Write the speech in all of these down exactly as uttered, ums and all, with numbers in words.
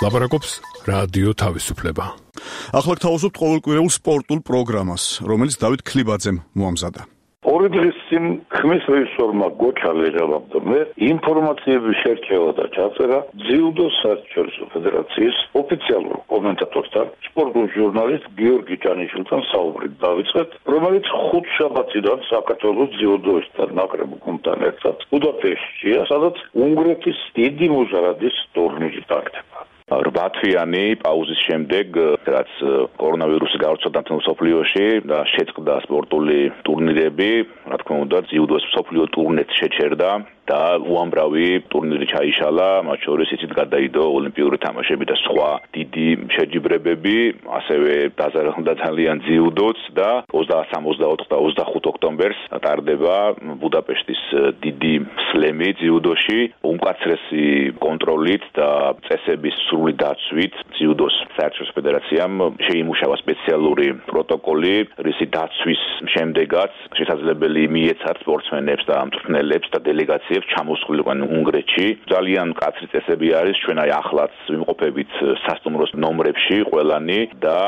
ლაპარაკობს რადიო თავისუფლება. ახლა გთავაზობთ ყოველკვირეულ სპორტულ პროგრამას, რომელიც დავით ქლიბაძემ მოამზადა. ორი დღის წინ ხმის რეჟისორმა გოჩა ლეღელამდე ინფორმაციების შერჩევა და ჩაწერა ძიუდო საერთაშორისო ფედერაციის ოფიციალურ კომენტატორთან, სპორტულ ჟურნალისტ გიორგი ჭანიშვილთან საუბრით დავიწყეთ, რომელიც ხუთშაბათიდან საქართველოს ძიუდოისტთა ნაკრებ გუნდთან ერთად ბუდაპეშტშია, სადაც უნგრეთის დიდი მუჟარადის ტურნირი ტარდება. რვა თვიანი პაუზის შემდეგ, რაც კორონავირუსი გავრცელდა მთელ მსოფლიოში და შეწყდა სპორტული ტურნირები, რა თქმა უნდა, ძიუდოს მსოფლიო ტურნეც შეჩერდა და უამრავი ტურნირი ჩაიშალა, მათ შორის იცით გადაიდო ოლიმპიური თამაშები და სხვა დიდი შეჯიბრებები, ასევე დაზარალდა ძალიან ძიუდოც და ოცდასამ, ოცდაოთხ და ოცდახუთ ოქტომბერს ტარდება ბუდაპეშტის დიდი სლემი ძიუდოში, უმკაცრესი კონტროლით და წესების სრული დაცვით ძიუდოს საერთაშორისო ფედერაციამ შეიმუშავა სპეციალური პროტოკოლი, რისი დაცვის შემდეგაც შესაძლებელი მიეცათ სპორტსმენებს და მწვრთნელებს და დელეგაციებს ჩამოსულიყვნენ უნგრეთში. ძალიან მკაცრი წესები არის, ჩვენ აი ახლაც ვიმყოფებით სასტუმროს ნომრებში ყველანი და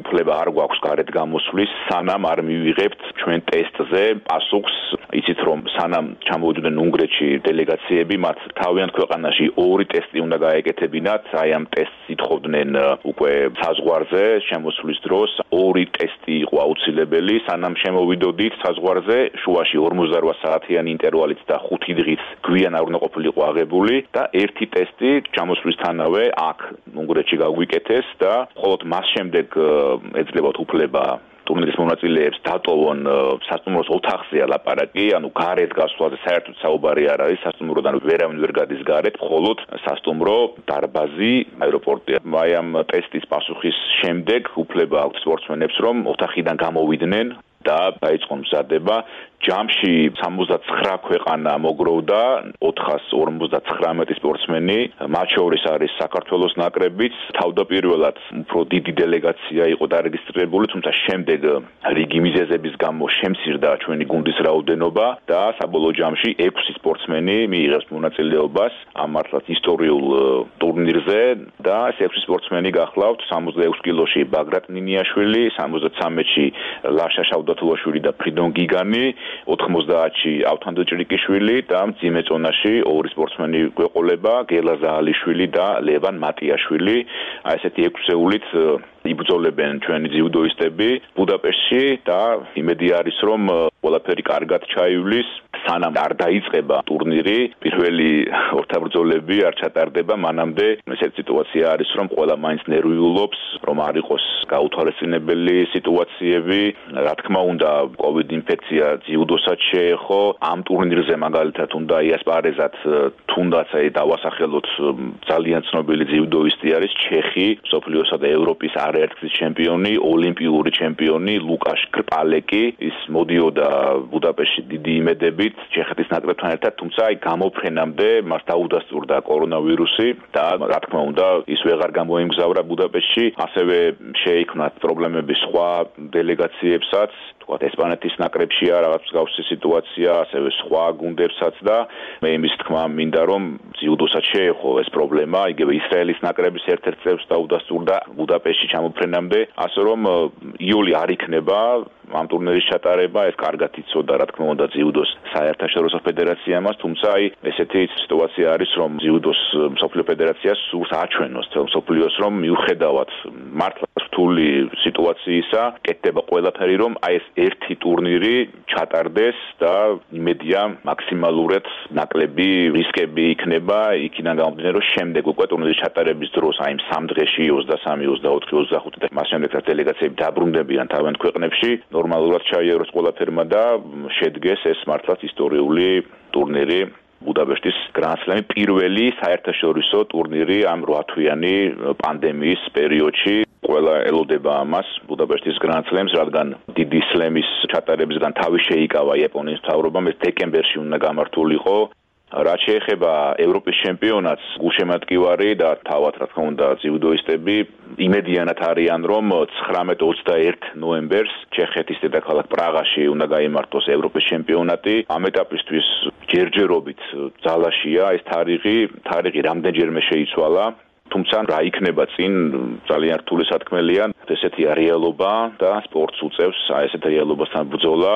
უფლება არ გვაქვს გარეთ გამოსვლის, სანამ არ მივიღებთ ჩვენ ტესტზე პასუხს. იცით რომ სანამ ჩამოვიდნენ უნგრეთში დელეგაციები, მათ თავიანთ ქვეყანაში ორი ტესტი უნდა გაეკეთებინათ, აი ამ ტესტს ითხოვდნენ უკვე საზღვარზე შემოსვლის დროს, ორი ტესტი იყო აუცილებელი, სანამ შემოვიდოდით საზღვარზე, შუაში ორმოცდარვა საათიანი ინტერვალით და ხუთი დღით გვიან არ უნდა ყოფილიყო აღებული და ერთი ტესტი ჩამოსვლისთანავე აქ უნგრეთში გაგვიკეთეს და მხოლოდ მას შემდეგ ეძლებათ უფლება ტურნირის მონაწილეებს დატოვონ სასტუმროს ოთახზე ლაპარაკი, ანუ გარეთ გასვლაზე საერთოდ საუბარი არ არის, სასტუმროდან ვერავინ ვერ გადის გარეთ, მხოლოდ სასტუმრო, დარბაზი, აეროპორტი. აი ამ ტესტის პასუხის შემდეგ უფლება აქვს სპორტსმენებს, რომ ოთახიდან გამოვიდნენ და დაიწყონ მზადება. ჯამში სამოცდაცხრა ქვეყანა მოგროვდა, ოთხას ორმოცდათხრამეტი სპორტსმენი, მათ შორის არის საქართველოს ნაკრებიც, თავდაპირველად უფრო დიდი დელეგაცია იყო დარეგისტრირებული, თუმცა შემდეგ რიგი მიზეზების გამო შემცირდა ჩვენი გუნდის რაოდენობა და საბოლოო ჯამში ექვსი სპორტსმენი მიიღებს მონაწილეობას ამ მართლაც ისტორიულ ტურნირზე და ეს ექვსი სპორტსმენი გახლავთ სამოცდაექვსი კილოში ბაგრატ ნინიაშვილი, სამოცდაცამეტში ლაშა შავდათულაშვილი და ფრიდონ გიგანი, ოთხმოცდაათში ავთანდო ჭრიკიშვილი და მძიმე წონაში ორი სპორტსმენი გვეყოლება, გელა ზაალიშვილი და ლევან მატიაშვილი. აი ესეთი ექვსეულით იბრძოლებენ ჩვენი ძიუდოისტები ბუდაპეშტში და იმედი არის რომ ყველაფერი კარგად ჩაივლის, სანამ არ დაიწყება ტურნირი, პირველი ორთაბრძოლები არ ჩატარდება, მანამდე ესეთი სიტუაცია არის რომ ყველა მაინც ნერვიულობს, რომ არ იყოს გაუთვალისწინებელი სიტუაციები. რა თქმა უნდა, კოვიდ ინფექცია ძიუდოსაც შეეხო, ამ ტურნირზე მაგალითად უნდა იასპარეზათ, თუნდაც აი დავასახელოთ ძალიან ცნობილი ძიუდოისტი არის ჩეხი, მსოფლიოსა და ევროპის არაერთგზის ჩემპიონი, ოლიმპიური ჩემპიონი ლუკაშ კრპალეკი, ის მოდიოდა ბუდაპეშტში დიდი იმედებით ჩეხეთის ნაკრებთან ერთად, თუმცა აი გამოფრენამდე მას დაუდასტურდა კორონავირუსი და რა თქმა უნდა ის ვეღარ გამოიმგზავრა ბუდაპეშტში, ასევე შეიქმნათ პრობლემები სხვა დელეგაციებსაც, თქვათ ესპანეთის ნაკრებშია რაღაც მსგავსი სიტუაცია, ასევე სხვა გუნდებსაც და მე იმის თქმა მინდა რომ ძიუდოსაც შეეხო ეს პრობლემა, იგივე ისრაელის ნაკრების ერთ-ერთ წევრს დაუდასტურდა ბუდაპეშტში ჩამოფრენამდე, ასე რომ იოლი არ იქნება ამ ტურნირის ჩატარება, ეს კარგად იცოდა რა თქმა უნდა ძიუდოს საერთაშორისო ფედერაციამაც, თუმცა აი ესეთი სიტუაცია არის რომ ძიუდოს მსოფლიო ფედერაციას სურს აჩვენოს თელ მსოფლიოს რომ მიუხედავად მართლა რთული სიტუაციისა, კეთდება ყველაფერი რომ აი ეს ერთი ტურნირი ჩატარდეს და იმედია მაქსიმალურად ნაკლები რისკები იქნება, იქიდან გამომდინარე რომ შემდეგ უკვე ტურნირის ჩატარების დროს აი სამ დღეში ოცდასამი, ოცდაოთხი, ოცდახუთი და მას შემდეგ დელეგაციები დაბრუნდებიან თავიანთ ქვეყნებში, ნორმალურად ჩაიაროს ყველაფერმა და შედგეს ეს მართლაც ისტორიული ტურნირი ბუდაპეშტის გრანდსლემი, პირველი საერთაშორისო ტურნირი ამ რვათვიანი პანდემიის პერიოდში. ყველა ელოდება ამას ბუდაპეშტის გრანდსლემს, რადგან დიდი სლემის ჩატარებისგან თავი შეიკავა იაპონიის მთავრობამ, ეს დეკემბერში უნდა გამართულიყო. რაც შეეხება ევროპის ჩემპიონატს, გულშემატკივარი და თავად რა თქმა უნდა ძიუდოისტები იმედიანად არიან, რომ ცხრამეტ ოცდაერთ ნოემბერს ჩეხეთის დედაქალაქ პრაღაში უნდა გაიმართოს ევროპის ჩემპიონატი. ამ ეტაპისთვის ჯერჯერობით ძალაშია ეს თარიღი, თარიღი რამდენჯერმე შეიცვალა. თუმცა რა იქნება წინ ძალიან რთული სათქმელია ესეთი რეალობა და სპორტს უწევს აი ესეთ რეალობასთან ბრძოლა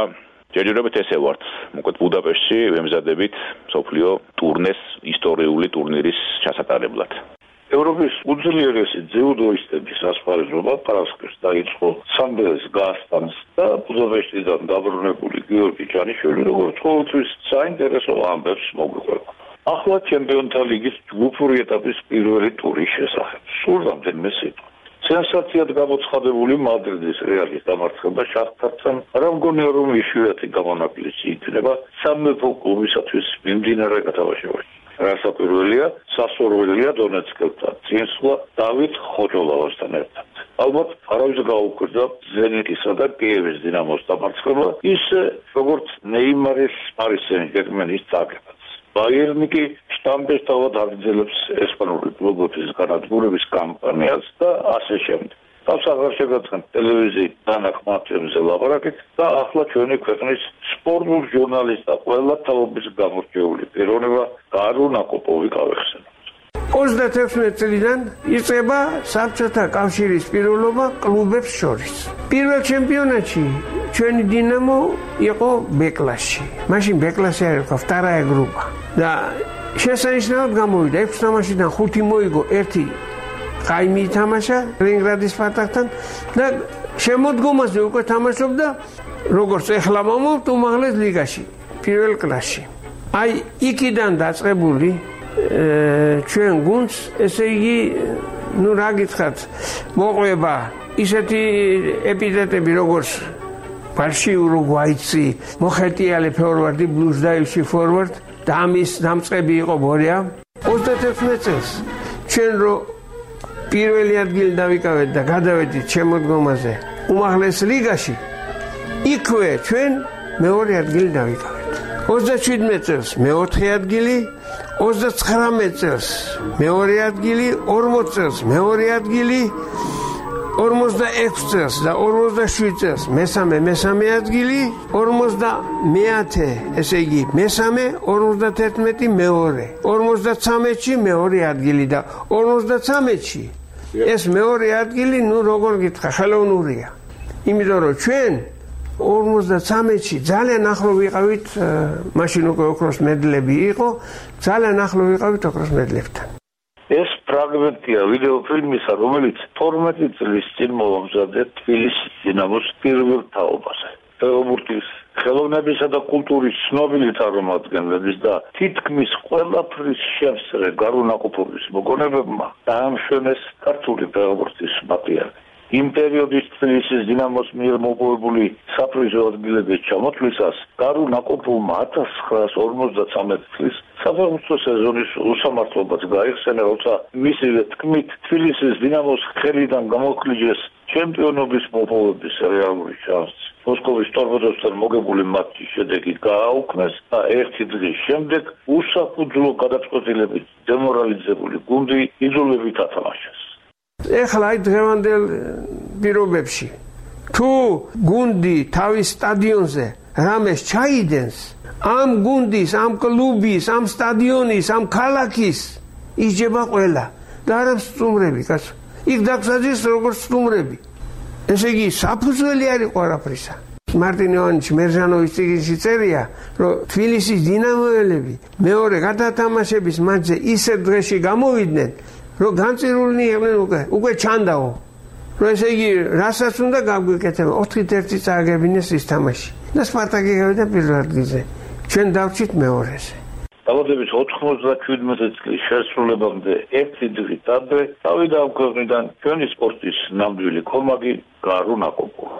ჯერჯერობით ესე ვართ მოკლედ ბუდაპეშტში ვემზადებით სოფლიო ტურნეს ისტორიული ტურნირის ჩასატარებლად ევროპის უძლიერესი ძიუდოისტების ასპარეზობა პარასკევს დაიწყო სამბელის გასტანს და ბუდაპეშტიდან დაბრუნებული გიორგი ჯანიშვილი როგორც ყოველთვის საინტერესო ამბებს მოგვიყვება. ახლა ჩემპიონთა ლიგის ჯგუფური ეტაპის პირველი ტურის შესახებ. სულ რამდენიმე სიტყვა. სენსაციად გამოცხადებული მადრიდის რეალის დამარცხება შახტართან რა მგონია რომ იშვიათი გამონაკლისი იქნება სამეფო კლუბისათვის მიმდინარე გათამაშებაში. რასაკვირველია, სასურველია დონეცკელთან, წინსვლა დავით ხოჯოლავასთან ერთად. ალბათ არავის გაუკვირდა ზენიტისა და კიევის დინამოს დამარცხება, ისე როგორც ნეიმარის პარის სენ-ჟერმენის წაგებაც. ბაიერნი კი შტამპის თავად აგრძელებს ესპანური კლუბების განადგურების კამპანიას და ასე შემდეგ. თავს აღარ შეგაცხადეთ ტელევიზიით დანახმართ-ებზე ლაპარაკით და ახლა ჩვენი ქვეყნის სპორტულ ჟურნალისტთა ყველა თაობის გამორჩეული პიროვნება გარო ნაკოპოვი გავეხსენოთ. ოცდათექვსმეტ წლიდან იწყება საბჭოთა კავშირის პირველობა კლუბებს შორის. პირველ ჩემპიონატში ჩვენი დინამო იყო ბეკლასში. მაშინ ბეკლასი არ იყო, ვტარაია გრუპა. და შესანიშნავად გამოვიდა ექვს თამაშიდან ხუთი მოიგო, ერთი ყაიმი ითამაშა ლენინგრადის სპარტაკთან და შემოდგომაზე უკვე თამაშობდა როგორც ეხლა მომავთ უმაღლეს ლიგაში, პირველ კლასში. აი იქიდან დაწყებული ჩვენ გუნდს, ესე იგი, ну რა გითხრათ, მოყვება ისეთი ეპიტეტები როგორც ბარში ურუგვაიცი, მოხეტიალე ფორვარდი, ბლუზდაილში ფორვარდ და ამის დამწყები იყო ბორია. ოცდათექვსმეტ წელს ჩვენ რო პირველი ადგილი დავიკავეთ და გადავედით შემოდგომაზე უმაღლეს ლიგაში, იქვე ჩვენ მეორე ადგილი დავიკავეთ. ოცდაშვიდმეტ წელს მეოთხე ადგილი, ოცდაცხრამეტ წელს მეორე ადგილი, ორმოც წელს მეორე ადგილი, ორმოცდაექვს წელს და ორმოცდაშვიდ წელს მესამე მესამე ადგილი, ორმოცდამეათე, ესე იგი მესამე, ორმოცდათერთმეტი მეორე, ორმოცდაცამეტში მეორე ადგილი და ორმოცდაცამეტში ეს მეორე ადგილი, ну როგორ გითხრა, ხელოვნურია. იმიტომ რომ ჩვენ ორმოცდაცამეტში ძალიან ახლო ვიყავით, მაშინ უკვე ოქროს მედლები იყო, ძალიან ახლო ვიყავით ოქროს მედლებთან. ეს ფრაგმენტია ვიდეოფილმისა, რომელიც თორმეტი წლის წინ მოამზადე თბილისის დინამოს პირველ თაობაზე. ფეხბურთის ხელოვნებისა და კულტურის ცნობილი წარმომადგენლების და თითქმის ყველაფრის შემსწრე გარუნაკופოვის მოგონებებმა დაამშვენეს ქართული ფეხბურთის მატიანე. იმ პერიოდის თბილისის დინამოს მიერ მოპოვებული საპრიზო ადგილების ჩამოთვლისას გარუნაკופოვმა ათას ცხრაას ორმოცდაცამეტ წლის საფეხბურთო სეზონის უსამართლობაც გაიხსენა, როცა მისივე თქმით თბილისის დინამოს ხელიდან გამოხლიჯეს ჩემპიონობის მოპოვების რეალური შანსი. მოსკოვის ტორპედოსთან მოგებული მატჩის შედეგი გააუქმეს და ერთი დღის შემდეგ უსაფუძვლო გადაწყვეტილებით დემორალიზებული გუნდი იძულებით ათამაშეს. ეხლა აი დღევანდელ პირობებში თუ გუნდი თავის სტადიონზე რამეს ჩაიდენს, ამ გუნდის, ამ კლუბის, ამ სტადიონის, ამ ქალაქის იჯება ყველა და არა სტუმრები, კაცო. იქ დაგსაჯეს როგორც სტუმრები. ესე იგი საფუძველი არ იყო არაფრისა. მარტინ ივანიჩ მერჟანოვის წიგნში წერია, რომ თბილისის დინამოელები მეორე გადათამაშების მატჩზე ისე დღეში გამოვიდნენ, რომ განწირულნი იყვნენ უკვე, უკვე ჩანდაო. რომ ესე იგი, რასაც უნდა გაგვიკეთება, ოთხით ერთი წააგებინეს ის თამაში. და სპარტაკი გავიდა პირველ ადგილზე. ჩვენ დავჭით მეორეზე. დაბადების ოთხმოცდაშვიდმეტ წლის შესრულებამდე ერთი დღით ადრე დავიდა ამ ქვეყნიდან ჩვენი სპორტის ნამდვილი ქომაგი გარუნაკופოვი.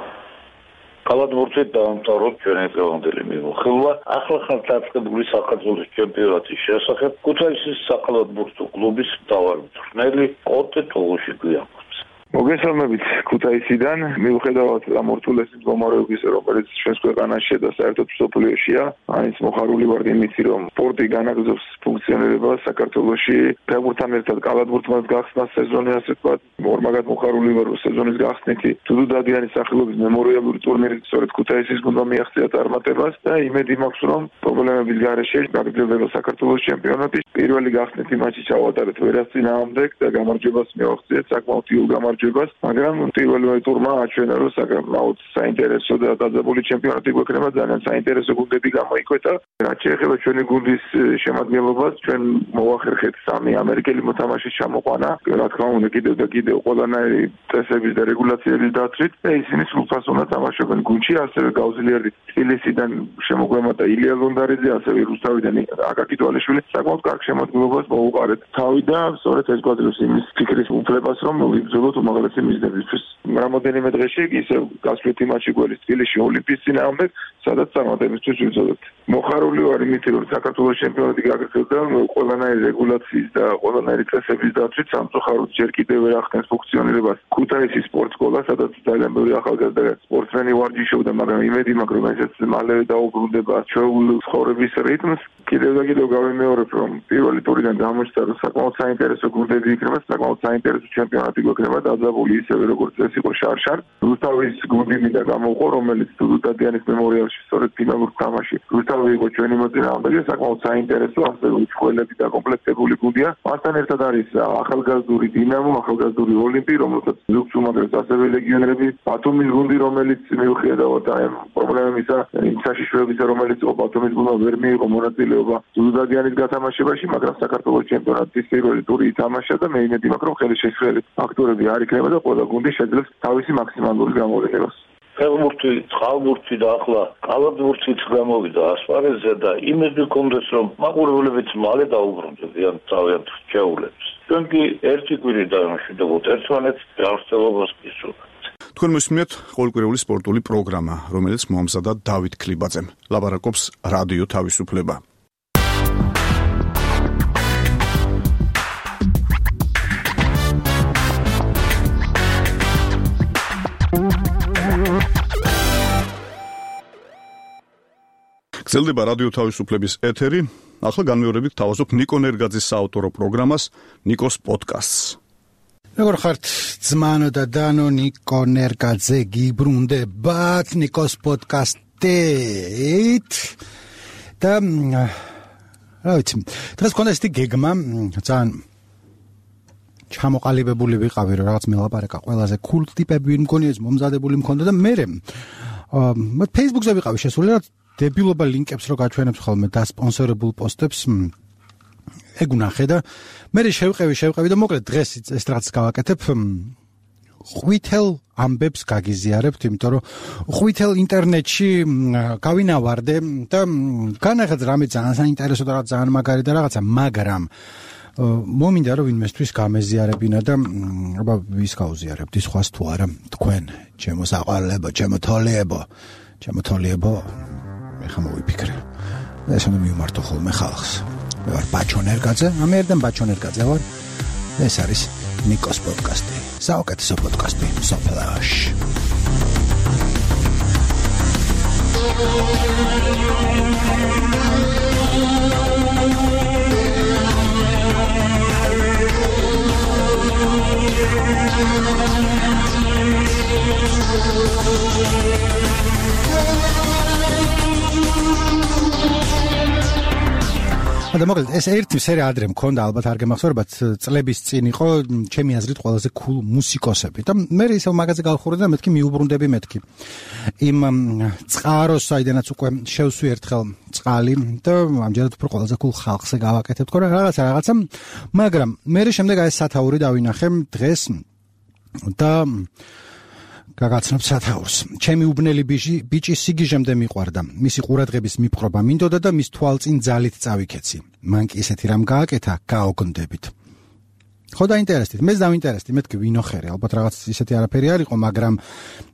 კალათბურთით დაამთავროთ ჩვენი დღევანდელი მიმოხილვა ახლახან დაწყებული საქართველოს ჩემპიონატის შესახებ ქუთაისის საკალათბურთო კლუბის მთავარი მწვრთნელი კოტე თოღუში გვიამბობს. მოგესალმებით ქუთაისიდან. მიუხედავად ამ ორთულესი მდგომარეობისა, რომელიც ჩვენს ქვეყანაშია და საერთოდ მსოფლიოშია, მაინც მოხარული ვარ იმით, რომ სპორტი განაგრძობს ფუნქციონირებას საქართველოში. ფეხბურთთან ერთად კალათბურთმაც გახსნა სეზონი, ასე ვთქვათ. ორმაგად მოხარული ვარ, რომ სეზონის გახსნითი დუდუ დადიანის სახელობის მემორიალური ტურნირი სწორედ ქუთაისის გუნდმა მიაღწია წარმატებას და იმედი მაქვს, რომ პრობლემების გარეშე გაგრძელდება საქართველოს ჩემპიონატი. პირველი გახსნითი მაჩი ჩავატარეთ ვერას წინააღმდეგ და გამარჯვებას მივაღწიეთ, საკმაოდ იოლ გამარჯვებას, მაგრამ პირველი ტურმა აჩვენა, რომ საკმაოდ საინტერესო და დაძაბული ჩემპიონატი გვექნება, ძალიან საინტერესო გუნდები გამოიკვეთა. რაც შეეხება ჩვენი გუნდის შემადგენლობას, ჩვენ მოვახერხეთ სამი ამერიკელი მოთამაშის ჩამოყვანა, რა თქმა უნდა კიდევ და კიდევ ყველანაირი წესების და რეგულაციების დაცვით და ისინი სრულფასოვნად თამაშობენ გუნდში, ასევე გავზლიარდით თბილისიდან შემოგვემატა ილია ლონდარიძე, ასევე რუსთავიდან აკაკი თვალიშვილი, საკმაოდ კარგ შემოქმედებას მოუყარეთ თავი და სწორედ ეს გვაძლევს იმის ფიქრის უფლებას, რომ ვიბრძოლოთ უმაღლესი მიზნებისთვის. რამოდენიმე დღეში ისევ გასვლითი მატჩი გველის თბილისში ოლიმპიის წინააღმდეგ, სადაც წარმატებისთვის ვიბრძოლეთ. მოხარული ვარ იმით, რომ საქართველოს ჩემპიონატი გაგრძელდა ყველანაირი რეგულაციის და ყველანაირი წესების დაცვით, სამწუხაროდ ჯერ კიდევ ვერ ახდენს ფუნქციონირებას ქუთაისის სპორტ სკოლა, სადაც ძალიან ბევრი ახალგაზრდა სპორტსმენი ვარჯიშობდა, მაგრამ იმედი მაქვს, რომ ესეც მალევე დაუბრუნდება ჩვეულ ცხოვრების რიტმს. კიდევ და კიდევ გავიმეორებ, რომ პირველი ტურიდან გამოჩნდა, რომ საკმაოდ საინტერესო გუნდები იქნება, საკმაოდ საინტერესო ჩემპიონატი გვექნება, დაძაბული ისევე როგორც ეს იყო შარშარ. რუსთავის გუნდი მინდა გამოვყო, რომელიც დუდუ დადიანის მემორიალში სწორედ ფინალურ თამაში. რუსთავი იყო ჩვენი მოწინააღმდეგე, საკმაოდ საინტერესო, ასევე უცხოელები დაკომპლექტებული გუნდია. მასთან ერთად არის ახალგაზრდული დინამო, ახალგაზრდული ოლიმპი, რომელსაც ზუგს უმაგრებს ასევე ლეგიონერები, ბათუმის გუნდი, რომელიც მიუხედავად აი პრობლემებისა, იმ საშიშროებისა, რომელიც ბათუმის გუნდმა ვერ მიიღო მონაწილეობა დუდუ დადიანის გათამაშებაში, მაგრამ საქართველოს ჩემპიონატის პირველი ტური ითამაშა და მე იმედი მაქვს, რომ ხელშეშლილი ფაქტორები არ იქნება და ყველა გუნდი შეძლებს თავისი მაქსიმალური გამოვლენებას. ფეხბურთი, წყალბურთი და ახლა კალათბურთიც გამოვიდა ასპარეზზე და იმედი გქონდეს, რომ მაყურებლებიც მალე დაუბრუნდებიან თავიანთ შეეულებს. ჩვენ კი ერთი კვირი დავიმშვიდობოთ ერთმანეთს ჯანმრთელობას გისურვებთ. თქვენ მოსმენთ ყოველკვირეული სპორტული პროგრამა, რომელიც მოამზადა დავით ქლიბაძემ. ლაპარაკობს რადიო თავისუფლება. გრძელდება რადიო თავისუფლების ეთერი. ახლა განმეორებით თავაზობ ნიკო ნერგაძის საავტორო პროგრამას ნიკოს პოდკასტს. როგორ ხართ ძმანო და დანო, ნიკო ნერგაძე გიბრუნდებათ ნიკოს პოდკასტით და რა ვიცი, დღეს მქონდა ესეთი გეგმა, ძალიან ჩამოყალიბებული ვიყავი, რომ რაღაც მელაპარაკა ყველაზე cool ტიპები მგონია ეს მომზადებული მქონდა და მე მე Facebook-ზე ვიყავი შესული რა დებილობა ლინკებს რო გაჩვენებს ხოლმე და სპონსორებულ პოსტებს ეგ უნახე და მე შევყევი შევყევი და მოკლედ დღეს ეს რაღაც გავაკეთებ ხვითელ ამბებს გაგიზიარებთ, იმიტომ რომ ხვითელ ინტერნეტში გავინავარდე და განახაც რამე ძალიან საინტერესო და რაღაც ძალიან მაგარი და რაღაცა, მაგრამ მომინდა რომ ვინმესთვის გამეზიარებინა და აბა ვის გავზიარებთ ის ხვას თუ არა თქვენ ჩემო საყვარლებო, ჩემო თოლიებო, ჩემო თოლიებო მე ხომ მოვიფიქრე. ეს უნდა მივმართო ხოლმე ხალხს. მე ვარ ბაჩო ნერგაძე, ამერიდან ბაჩო ნერგაძე ვარ. ეს არის ნიკოს პოდკასტი. საუკეთესო პოდკასტი სოფელში. და მოკლედ ეს ერთი სერია ადრე მქონდა, ალბათ არ გემახსოვრებათ, წლების წინ იყო ჩემი აზრით ყველაზე cool მუსიკოსები და მე ისევ მაგაზე გავხურე და მეთქი მიუბრუნდები მეთქი იმ წყაროს, საიდანაც უკვე შევსვი ერთხელ წყალი და ამჯერად უფრო ყველაზე cool ხალხზე გავაკეთებ თქო რა რაღაცა რაღაცა, მაგრამ მე შემდეგ აი სათაური დავინახე დღეს და გაგაცნობ სათაურს. ჩემი უბნელი ბიჭი ბიჭი სიგიჟემდე მიყვარდა. მისი ყურადღების მიპყრობა მინდოდა და მის თვალწინ ძალით წავიქეცი. მან კი ისეთი რამ გააკეთა, გაოგნდებით. ხო დაინტერესდით, მეც დავინტერესდი, მეთქი ვინოხერი, ალბათ რაღაც ისეთი არაფერი არ იყო, მაგრამ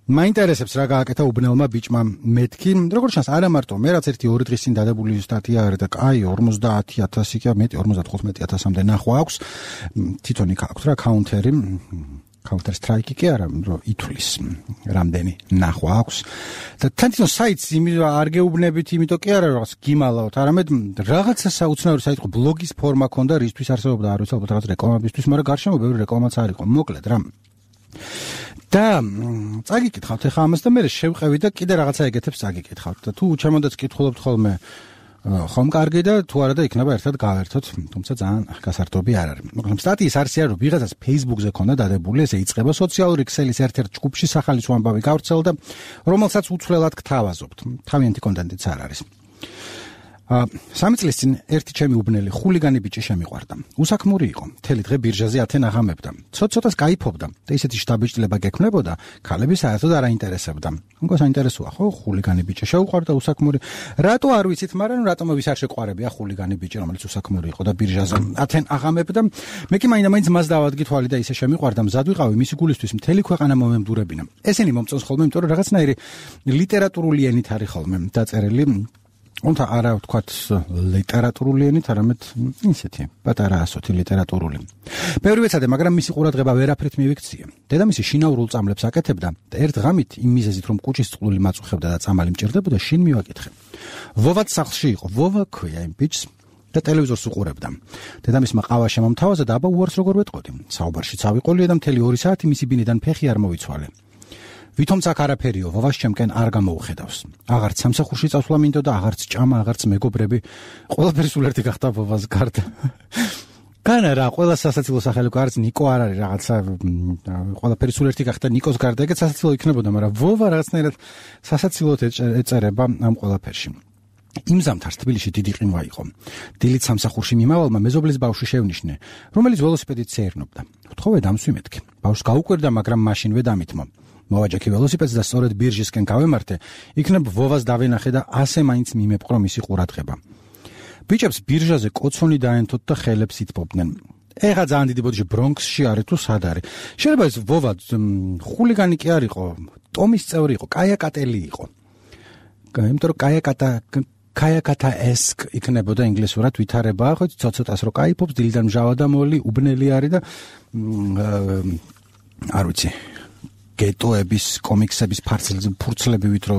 მაინტერესებს რა გააკეთა უბნელმა ბიჭმა მეთქი. როგორც ჩანს, არა მარტო მე რაც ერთი ორი დღის წინ დადებული სტატია არის და კაი ორმოცდაათი ათასი კი მეტი ორმოცდათხუთმეტი ათასამდე ნახვა აქვს. თვითონ იქ აქვს რა კაუნტერი. Counter Strike კი არა, რომ ითulis რამდენი ნახვა აქვს. და თვითონ საიტს არ გეუბნებით, იმიტომ კი არა რაღაც გიმალავთ, არამედ რაღაცა საუცნაური საიტი ხო ბლოგის ფორმა ქონდა, რისთვის არსებობდა, არ ვიცი, ალბათ რაღაც რეკლამებისთვის, მაგრამ გარშემო ბევრი რეკლამაც არ იყო. მოკლედ რა. და წაგიკითხავთ ახლა ამას და მე შევყევი და კიდე რაღაცა ეგეთებს წაგიკითხავთ. და თუ ჩემოდაც კითხულობთ ხოლმე ხომ კარგი და თუ არა და იქნება ერთად გავერთოთ, თუმცა ძალიან გასართობი არ არის. მოკლედ სტატიის არსია რომ ვიღაცას Facebook-ზე ქონდა დადებული, ესე იწყება სოციალური ქსელის ერთ-ერთ ჯგუფში სახალისო ამბავი გავრცელდა, რომელსაც უცვლელად გთავაზობთ. თავიანთი კონტენტიც არ არის. სამი წლის წინ ერთი ჩემი უბნელი ხულიგანი ბიჭი შემიყვარდა. უსაქმური იყო. მთელი დღე ბირჟაზე ათენ აღამებდა. ცოტ-ცოტას გაიფობდა და ისეთი შტაბიჭდილება გექმნებოდა, ქალები საერთოდ არ აინტერესებდა. უკვე საინტერესოა, ხო, ხულიგანი ბიჭი შეუყვარდა უსაქმური. რატო არ ვიცით, მაგრამ რატომ ვის არ შეყვარებია ხულიგანი ბიჭი, რომელიც უსაქმური იყო და ბირჟაზე ათენ აღამებდა. მე კი მაინდა-მაინც მას დავადგი თვალი და ისე შემიყვარდა, მზად ვიყავი მისი გულისთვის მთელი ქვეყანა მომემდურებინა. ესენი მომწონს ხოლმე, იმიტომ რომ რაღაცნაირი ლიტერატურული ენით არის ხოლმე დაწერილი. Unta არა ვთქვათ ლიტერატურული ენით, არამედ ისეთი პატარა ასოთი ლიტერატურული. ბევრი ვეცადე, მაგრამ მისი ყურადღება ვერაფრით მივიქციე. დედამისი შინაურულ წამლებს აკეთებდა და ერთ ღამით იმ მიზეზით, რომ კუჭის წყლული მაწუხებდა და წამალი მჭირდებოდა, შინ მივაკითხე. ვოვაც სახლში იყო, ვოვა ქვია იმ ბიჭს და ტელევიზორს უყურებდა. დედამისმა ყავა შემომთავაზა და აბა უარს როგორ ვეტყოდი. საუბარში წავიყოლია და მთელი ორი საათი მისი ბინიდან ფეხი არ მოვიცვალე. ვითომც აქ არაფერიო, ვოვას ჩემკენ არ გამოუხედავს. აღარც სამსახურში წასვლა მინდოდა, აღარც ჭამა, აღარც მეგობრები. ყველაფერი სულ ერთი გახდა ვოვას გარდა. განა რა, ყველა სასაცილო სახელო არც ნიკო არ არის რაღაცა, ყველაფერი სულ ერთი გახდა ნიკოს გარდა, ეგეც სასაცილო იქნებოდა, მაგრამ ვოვა რაღაცნაირად სასაცილოდ ეწერება ამ ყველაფერში. იმ ზამთარს თბილისში დიდი ყინვა იყო. დილით სამსახურში მიმავალმა მეზობლის ბავშვი შევნიშნე, რომელიც ველოსიპედით სეირნობდა. ვთხოვე დამსვი მეთქე. ბავშვს გაუკვირდა, მაგრამ მაშინვე დამითმო. მოვაჯექი ველოსიპედს და სწორედ ბირჟისკენ გავემართე, იქნებ ვოვას დავენახე და ასე მაინც მიმეპყრო მისი ყურადღება. ბიჭებს ბირჟაზე კოცონი დაენთოთ და ხელებს ითბობდნენ. ეხა ძალიან დიდი ბოდიში ბრონქსში არის თუ სად არის. შეიძლება ეს ვოვა ხულიგანი კი არ იყო, ტომის წევრი იყო, კაიაკატელი იყო. იმიტომ რომ კაიაკატა კაიაკატა ესკ იქნებოდა ინგლისურად ვითარებაა, ხო ცოტ-ცოტას რო кайფობს, დილიდან მჟავა და მოლი, უბნელი არის და არ ვიცი გეტოების, კომიქსების ფურცლებივით რო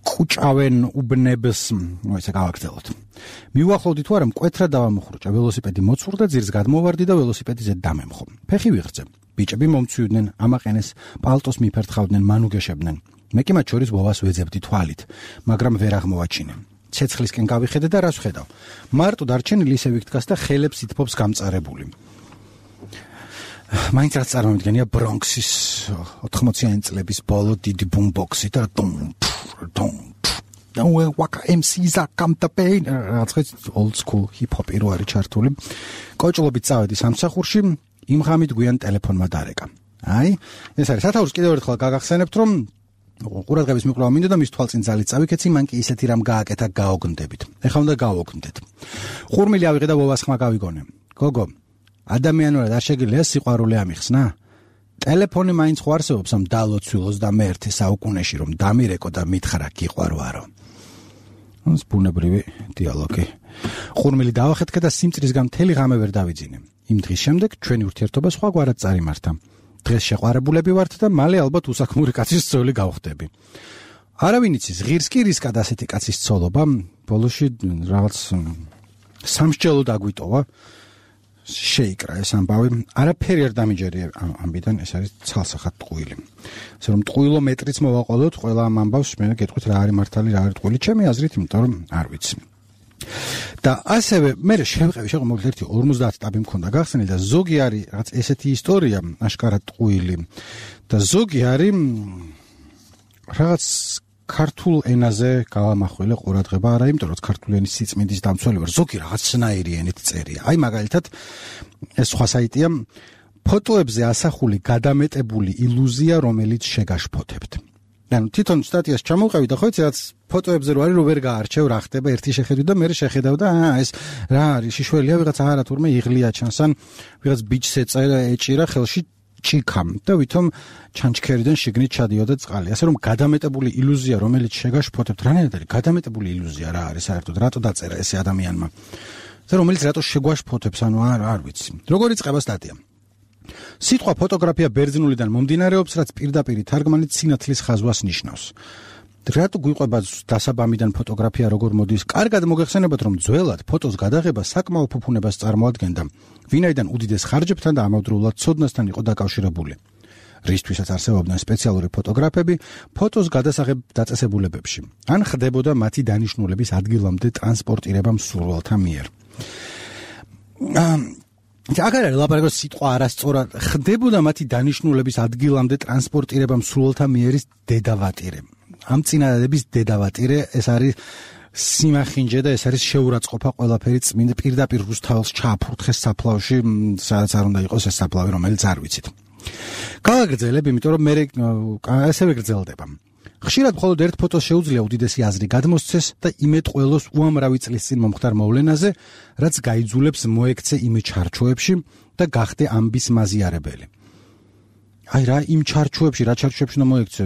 კუჭავენ უბნებს, ნუ ესე გავაგრძელოთ. მივახლოვდი თუ არა მკვეთრად დავამოხრუჭა, ველოსიპედი მოცურდა, ძირს გადმოვარდი და ველოსიპედიზე დამემხო. ფეხი ვიღრძე. ბიჭები მომცვიდნენ, ამაყენეს, პალტოს მიფერთხავდნენ, მანუგეშებდნენ. მე კი მათ შორის ვოვას ვეძებდი თვალით, მაგრამ ვერ აღმოვაჩინე. ცეცხლისკენ გავიხედე და რას ვხედავ? მარტო დარჩენილი ისე ვიქდგას და ხელებს ითბობს გამწარებული. მაინც რაც წარმოვიდგენია ბრონქსის ოთხმოციანი წლების ბოლო დიდი ბუმბოქსი და დუმ დუმ და ვაკა ემ სი-ს აკამტაპეინ რაღაც old school hip hop რო არის ჩართული. კოჭლობით წავედი სამსახურში, იმ ღამით გვიან ტელეფონმა დარეკა. აი, ეს არის სათაურს კიდევ ერთხელ გაგახსენებთ, რომ ყურადღების მიკვლევა მინდოდა და მის თვალწინ ძალით წავიქეცი, მან კი ისეთი რამ გააკეთა გაოგნდებით. ეხლა უნდა გავოგნდეთ. ხურმილი ავიღე და ვოვას ხმა გავიგონე. გოგო, ადამიანურად არ შეგიძლია სიყვარული ამიხსნა? ტელეფონი მაინც ხო არსებობს ამ დალოცვილოს და მე ერთი საუკუნეში რომ დამირეკო და მითხრა გიყვარვარო. ეს ბუნებრივი დიალოგი. ხურმილი დავახეთქე და სიმწრისგან მთელი ღამე ვერ დავიძინე. იმ დღის შემდეგ ჩვენი ურთიერთობა სხვაგვარად წარიმართა. დღეს შეყვარებულები ვართ და მალე ალბათ უსაქმური კაცის ცოლი გავხდები. არავინ იცის, ღირს კი რისკად ასეთი კაცის ცოლობა, ბოლოში რაღაც სამსჯელო დაგვიტოვა. შეიკრა ეს ამბავი, არაფერი არ დამიჯერია ამბიდან, ეს არის ცალსახად ტყუილი. ასე რომ ტყუილო მეტრიც მოვაყოლოთ ყველა ამ ამბავს, მე გეტყვით რა არის მართალი, რა არის ტყუილი, ჩემი აზრით, იმიტომ რომ არ ვიცი. და ასევე მე შევყევი, შეყო მოგეთ ერთი ორმოცდაათი ტაბი მქონდა გახსნილი და ზოგი არის რაღაც ესეთი ისტორია, აშკარად ტყუილი და ზოგი არის რაღაც ქართულ ენაზე გავამახვილე ყურადღება, არა იმიტომ რომ ქართული ენის სიწმინდის დამცველი ვარ, ზოგი რაღაცნაირი ენით წერია. აი მაგალითად ეს სხვა საიტია, ფოტოებზე ასახული გადამეტებული ილუზია, რომელიც შეგაშფოთებთ. ანუ თვითონ სტატიას ჩამოვყევი და ხო იცი რაც ფოტოებზე რო არის, რო ვერ გაარჩევ, რა ხდება, ერთი შეხედვი და მე შეხედავ და აა ეს რა არის, შიშველია ვიღაც არა თურმე იღლია ჩანს, ან ვიღაც ბიჭს ეწერა, ეჭირა ხელში ჭიქამ და ვითომ ჩანჩქერიდან შიგნით ჩადიოდა წყალი. ასე რომ გადამეტებული ილუზია, რომელიც შეგაშფოთებთ, რანაირად არის გადამეტებული ილუზია რა არის საერთოდ, რატო დაწერა ესე ადამიანმა? და რომელიც რატო შეგვაშფოთებს, ანუ არ არ ვიცი. როგორ იწყება სტატია? სიტყვა ფოტოგრაფია ბერძნულიდან მომდინარეობს, რაც პირდაპირ თარგმანით სინათლის ხაზვას ნიშნავს. რატო გვიყვება დასაბამიდან ფოტოგრაფია როგორ მოდის? კარგად მოგეხსენებათ, რომ ძველად ფოტოს გადაღება საკმაო ფუფუნებას წარმოადგენდა, ვინაიდან უდიდეს ხარჯებთან და ამავდროულად ცოდნასთან იყო დაკავშირებული. რისთვისაც არსებობდნენ სპეციალური ფოტოგრაფები ფოტოს გადასაღებ დაწესებულებებში, ან ხდებოდა მათი დანიშნულების ადგილამდე ტრანსპორტირება მსურველთა მიერ. აგარ არის ლაპარაკო სიტყვა არასწორად, ხდებოდა მათი დანიშნულების ადგილამდე ტრანსპორტირება მსურველთა მიერის დედავატირე. ამ წინადადების დედავატირე ეს არის სიმახინჯე და ეს არის შეურაცხყოფა ყველაფერი წმინდა პირდაპირ რუსთაველს ჩააფურთხეს საფლავში, სადაც არ უნდა იყოს ეს საფლავი, რომელიც არ ვიცით. გავაგრძელებ, იმიტომ რომ მე ესევე გრძელდება. ხშირად მხოლოდ ერთ ფოტოს შეუძლია უდიდესი აზრი გადმოსცეს და იმეტყველოს უამრავი წლის წინ მომხდარ მოვლენაზე, რაც გაიძულებს მოექცე იმ ჩარჩოებში და გახდე ამბის მაზიარებელი. აი რა, იმ ჩარჩოებში, რა ჩარჩოებში უნდა მოექცე?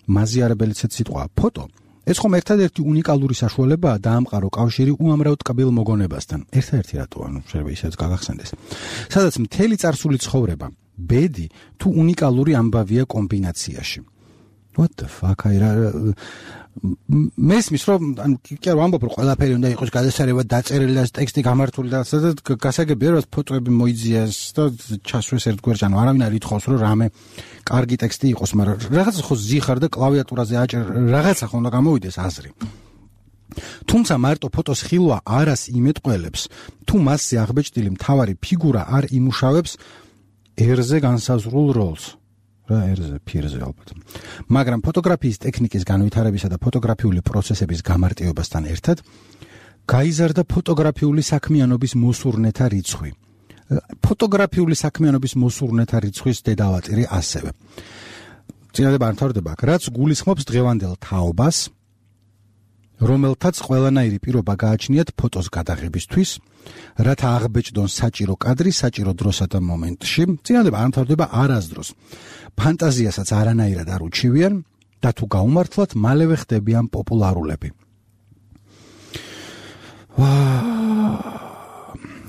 მაზიარებელიც სიტყვა ფოტო. ეს ხომ ერთადერთი უნიკალური საშუალებაა დაამყარო კავშირი უამრავ ტკბილ მოგონებასთან. ერთადერთი რატო, ანუ შეიძლება ისეც გაგახსენდეს. სადაც მთელი წარსული ცხოვრება, ბედი თუ უნიკალური ამბავია კომბინაციაში. What the fuck? აი რა მესმის რომ ანუ კი არ ვამბობ რომ ყველაფერი უნდა იყოს გადასარევად დაწერილი და ტექსტი გამართული და სადაც გასაგებია რომ ფოტოები მოიძიეს და ჩასვეს ერთგვერდ, ანუ არავინ არ ითხოვს რომ რამე კარგი ტექსტი იყოს, მაგრამ რაღაცა ხო ზიხარ და კლავიატურაზე აჭერ, რაღაცა ხო უნდა გამოვიდეს აზრი. თუმცა მარტო ფოტოს ხილვა არას იმეტყველებს, თუ მასზე აღბეჭდილი მთავარი ფიგურა არ იმუშავებს ერზე განსაზღვრულ როლს. რა ერზე ფირზე ალბათ. მაგრამ ფოტოგრაფიის ტექნიკის განვითარებისა და ფოტოგრაფიული პროცესების გამარტივებასთან ერთად გაიზარდა ფოტოგრაფიული საქმიანობის მოსურნეთა რიცხვი. ფოტოგრაფიული საქმიანობის მოსურნეთა რიცხვის დედავატირი ასევე. წინადად მთავრდება, რაც გულისხმობს დღევანდელ თაობას, რომელთაც ყველანაირი პირობა გააჩნიათ ფოტოს გადაღებისთვის, რათა აღბეჭდონ საჭირო კადრი საჭირო დროსა და მომენტში. წინადად მთავრდება არასდროს. ფანტაზიასაც არანაირად არ უჩივიან და თუ გაუმართლად მალევე ხდებიან პოპულარულები.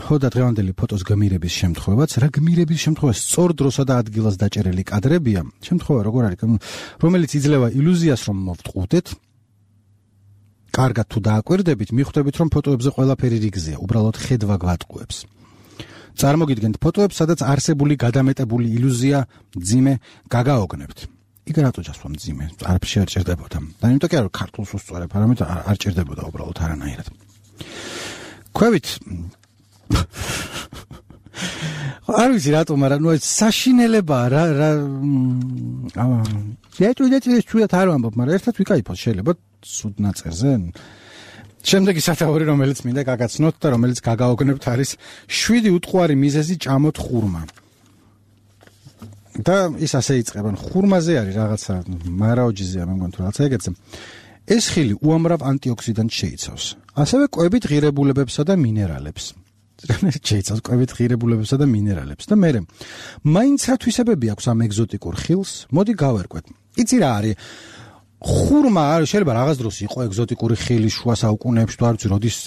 ხო და დღევანდელი ფოტოს გმირების შემთხვევაც, რა გმირების შემთხვევა სწორ დროსა და ადგილას დაჭერილი კადრებია, შემთხვევა როგორ არის, რომელიც იძლევა ილუზიას რომ მოვტყუდეთ, კარგად თუ დააკვირდებით, მიხვდებით რომ ფოტოებზე ყველაფერი რიგზეა, უბრალოდ ხედვა გვატყუებს. წარმოგიდგენთ ფოტოებს, სადაც არსებული გადამეტებული ილუზია ძიმე გაგაოგნებთ. იქ რატო ჩასვა ძიმე? არაფერი არ ჭირდებოდა. და იმიტომ კი არა ქართულს უსწორებ, არამედ არ ჭირდებოდა უბრალოდ არანაირად. ქვევით არ ვიცი რატო, მაგრამ ნუ ეს საშინელებაა რა რა აა შეჭუ და შეჭუათ არ ვამბობ, მაგრამ ერთად ვიკაიფოთ შეიძლება სუდ ნაწერზე. შემდეგი სათაური, რომელიც მინდა გაგაცნოთ და რომელიც გაგაოგნებთ, არის შვიდი უტყუარი მიზეზი ჭამოთ ხურმა. და ის ასე იწყება. ხურმაზე არის რაღაცა მარაოჯიზეა, მე მგონი თუ რაღაცა ეგეთზე. ეს ხილი უამრავ ანტიოქსიდანტს შეიცავს. ასევე კვებით ღირებულებებსა და მინერალებს. შეიცავს კვებით ღირებულებებსა და მინერალებს. და მე მაინც რა თვისებები აქვს ამ ეგზოტიკურ ხილს? მოდი გავერკვეთ. იცი რა არის? ხურმა არის შეიძლება რაღაც დროს იყო ეგზოტიკური ხილი შუა საუკუნეებში, თუ არ ვიცი როდის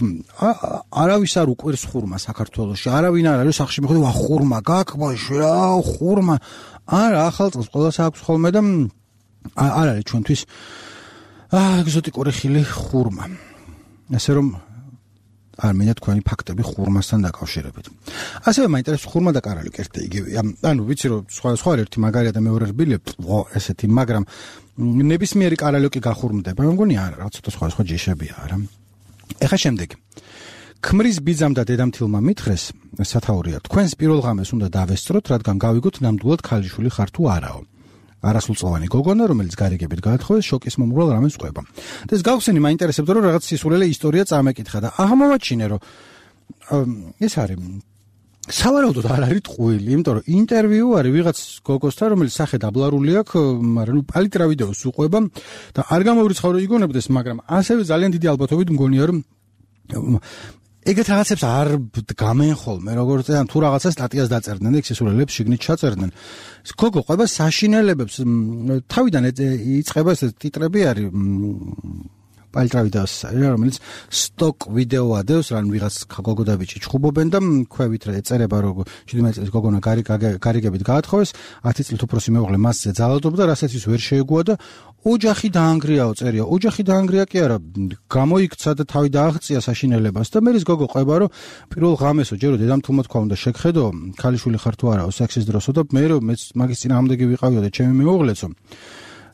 არავის არ უყვირს ხურმა საქართველოში. არავინ არ არის სახში მიხვდი, ვა ხურმა გაკბაში რა, ხურმა. არა, ახალ წელს ყველას აქვს ხოლმე და არ არის ჩვენთვის აა ეგზოტიკური ხილი ხურმა. ასე რომ არ მინდა თქვენი ფაქტები ხურმასთან დაკავშირებით. ასევე მაინტერესებს ხურმა და კარალიოკი ერთად იგივეა. ანუ ვიცი რომ სხვა სხვა ერთი მაგარია და მეორე რბილი, ო ესეთი, მაგრამ ნებისმიერი კარალიოკი გახურმდება. მე მგონი არა, რაღაც ცოტა სხვა სხვა ჯიშებია, არა. ეხა შემდეგი. ქმრის ბიძამ და დედამთილმა მითხრეს, სათაურია, თქვენს პირველ ღამეს უნდა დავესწროთ, რადგან გავიგოთ ნამდვილად ქალიშვილი ხარ თუ არაო. არასრულწლოვანი გოგონა, რომელიც გარიგებით გაათხოვეს, შოკის მომრვალ რამეს ყვება. და ეს გავხსენი მაინტერესებდა, რომ რაღაც სისულელე ისტორია წამეკითხა და აღმოვაჩინე, რომ ეს არის სავარაუდოდ არ არის ტყუილი, იმიტომ რომ ინტერვიუ არის ვიღაც გოგოსთან, რომელიც სახე დაბლარული აქვს, მაგრამ ნუ პალიტრა ვიდეოს უყვება და არ გამოვრიცხავ რომ იგონებდეს, მაგრამ ასევე ძალიან დიდი ალბათობით მგონია რომ ეგეთ რაღაცებს არ დგამენ ხოლმე, როგორც ან თუ რაღაცა სტატიას დაწერდნენ და იქ სისულელებს შიგნით ჩაწერდნენ. გოგო ყვება საშინელებებს, თავიდან იწყება ეს ტიტრები არის პალტრავიდას რომელიც სტოკ ვიდეო ადევს რან ვიღაც გოგოდაბიჭი ჩხუბობენ და ქვევით ეწერება რომ შვიდმეტი წლის გოგონა გარიგებით გაათხოვეს ათი წლით უფროსი მეუღლე მასზე ძალადობდა რასაც ის ვერ შეეგუა და ოჯახი დაანგრიაო წერია ოჯახი დაანგრია კი არა გამოიქცა და თავი დააღწია საშინელებას და მე ის გოგო ყვება რომ პირველ ღამესო ჯერო დედამთულმა თქვა უნდა შეგხედო ქალიშვილი ხარ თუ არაო სექსის დროსო და მე რომ მეც მაგის წინააღმდეგი ვიყავიო და ჩემი მეუღლეცო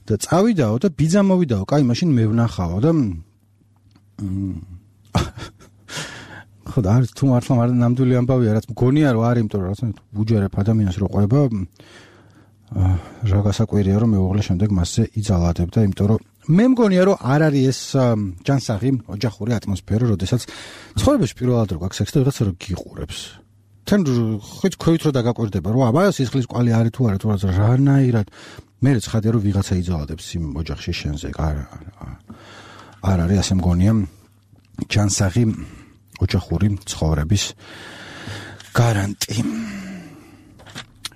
და წავიდაო და ბიძა მოვიდაო კაი მაშინ მე ვნახავო და ხო და არ თუ მართლა არ ნამდვილი ამბავია რაც მგონია რომ არის იმიტომ რომ რაღაცა უჯერებ ადამიანს რო ყვება რა გასაკვირია რომ მეუღლე შემდეგ მასზე იძალადებდა იმიტომ რომ მე მგონია რომ არ არის ეს ჯანსაღი ოჯახური ატმოსფერო როდესაც ცხოვრებაში პირველად რო გაქვს სექსი და ვიღაცა რო გიყურებს თან ხეთ ქვევით რო დაგაკვირდება რომ აბა სისხლის კვალი არის თუ არა თუ რა რანაირად მე ცხადია რომ ვიღაცა იძალადებს იმ ოჯახში შენზე არ არ არის ასე მგონია ჯანსაღი ოჯახური ცხოვრების გარანტი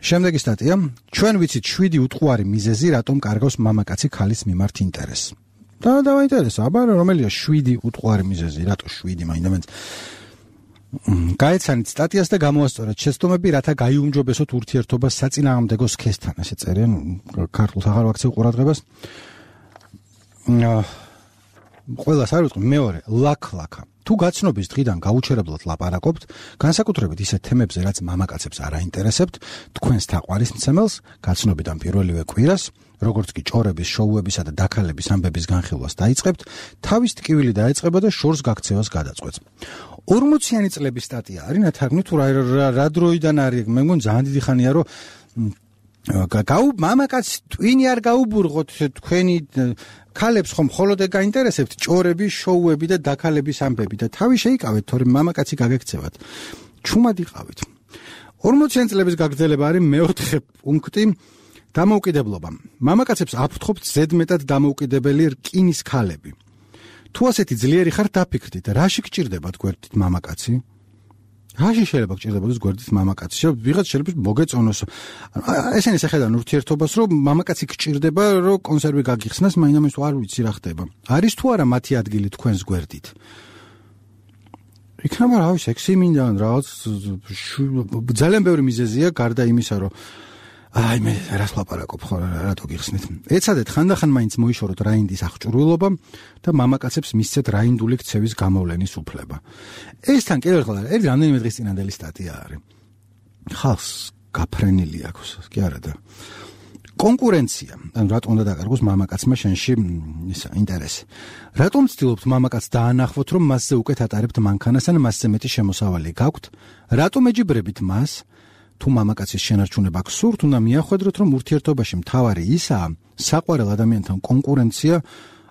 შემდეგი სტატია ჩვენ ვიცით შვიდი უტყუარი მიზეზი რატომ კარგავს მამაკაცი ქალის მიმართ ინტერესს და დავაინტერესა აბა რომელია შვიდი უტყუარი მიზეზი რატო შვიდი მაინდამაც გაეცანით სტატიას და გამოასწორეთ შეცდომები რათა გაიუმჯობესოთ ურთიერთობა საწინააღმდეგო სქესთან ესე წერიან ქართულ აღარ ვაქცევ ყურადღებას ყველას არ ვიტყვი მეორე ლაქ-ლაქა თუ გაცნობის დღიდან გაუჩერებლად ლაპარაკობთ განსაკუთრებით ისეთ თემებზე რაც მამაკაცებს არ აინტერესებთ თქვენს თაყვანისმცემელს გაცნობიდან პირველივე კვირას როგორც კი ჭორების შოუებისა და დაქალების ამბების განხილვას დაიწყებთ თავის ტკივილი დაეწყება და შორს გაქცევას გადაწყვეტს ორმოციანი წლების სტატია არის ნათარგმნი თუ რა დროიდან არის მე მგონი ძალიან დიდი ხანია რომ გაუ მამაკაცს ტვინი არ გაუბურღოთ თქვენი ქალებს ხომ მხოლოდ გაინტერესებთ ჭორები, შოუები და დაქალების ამბები და თავი შეიკავეთ, თორემ მამაკაცი გაგექცევათ. ჩუმად იყავით. ორმოციანი წლების გაგრძელება არის მეოთხე პუნქტი დამოუკიდებლობა. მამაკაცებს აფრთხობთ ზედმეტად დამოუკიდებელი რკინის ქალები. თუ ასეთი ძლიერი ხარ დაფიქრდით, რაში გჭირდებათ გვერდით მამაკაცი? რაში შეიძლება გჭირდებოდეს გვერდით მამაკაცი? ვიღაც შეიძლება მოგეწონოს. ესენი შეხედან ურთიერთობას, რომ მამაკაცი გჭირდება, რომ კონსერვი გაგიხსნას, მაინამის არ ვიცი რა ხდება. არის თუ არა მათი ადგილი თქვენს გვერდით? იქნება რა ვიცი, სექსი მინდა რაღაც ძალიან ბევრი მიზეზია გარდა იმისა, რომ აი მე რას ლაპარაკობ ხო რატო გიხსნით. ეცადეთ ხანდახან მაინც მოიშოროთ რაინდის აღჭურვილობა და მამაკაცებს მისცეთ რაინდული ქცევის გამოვლენის უფლება. ეს თან კიდევ ერთხელ ერთი რამდენიმე დღის წინანდელი სტატია არის. ხალხს გაფრენილი აქვს, კი არა და კონკურენცია. ანუ რატომ უნდა დაკარგოს მამაკაცმა შენში ისა ინტერესი. რატომ ცდილობთ მამაკაცს დაანახოთ, რომ მასზე უკეთ ატარებთ მანქანას ან მასზე მეტი შემოსავალი გაქვთ? რატომ ეჯიბრებით მას? თუ მამაკაცის შენარჩუნება გსურთ, უნდა მიახვედროთ, რომ ურთიერთობაში მთავარი ისაა, საყვარელ ადამიანთან კონკურენცია,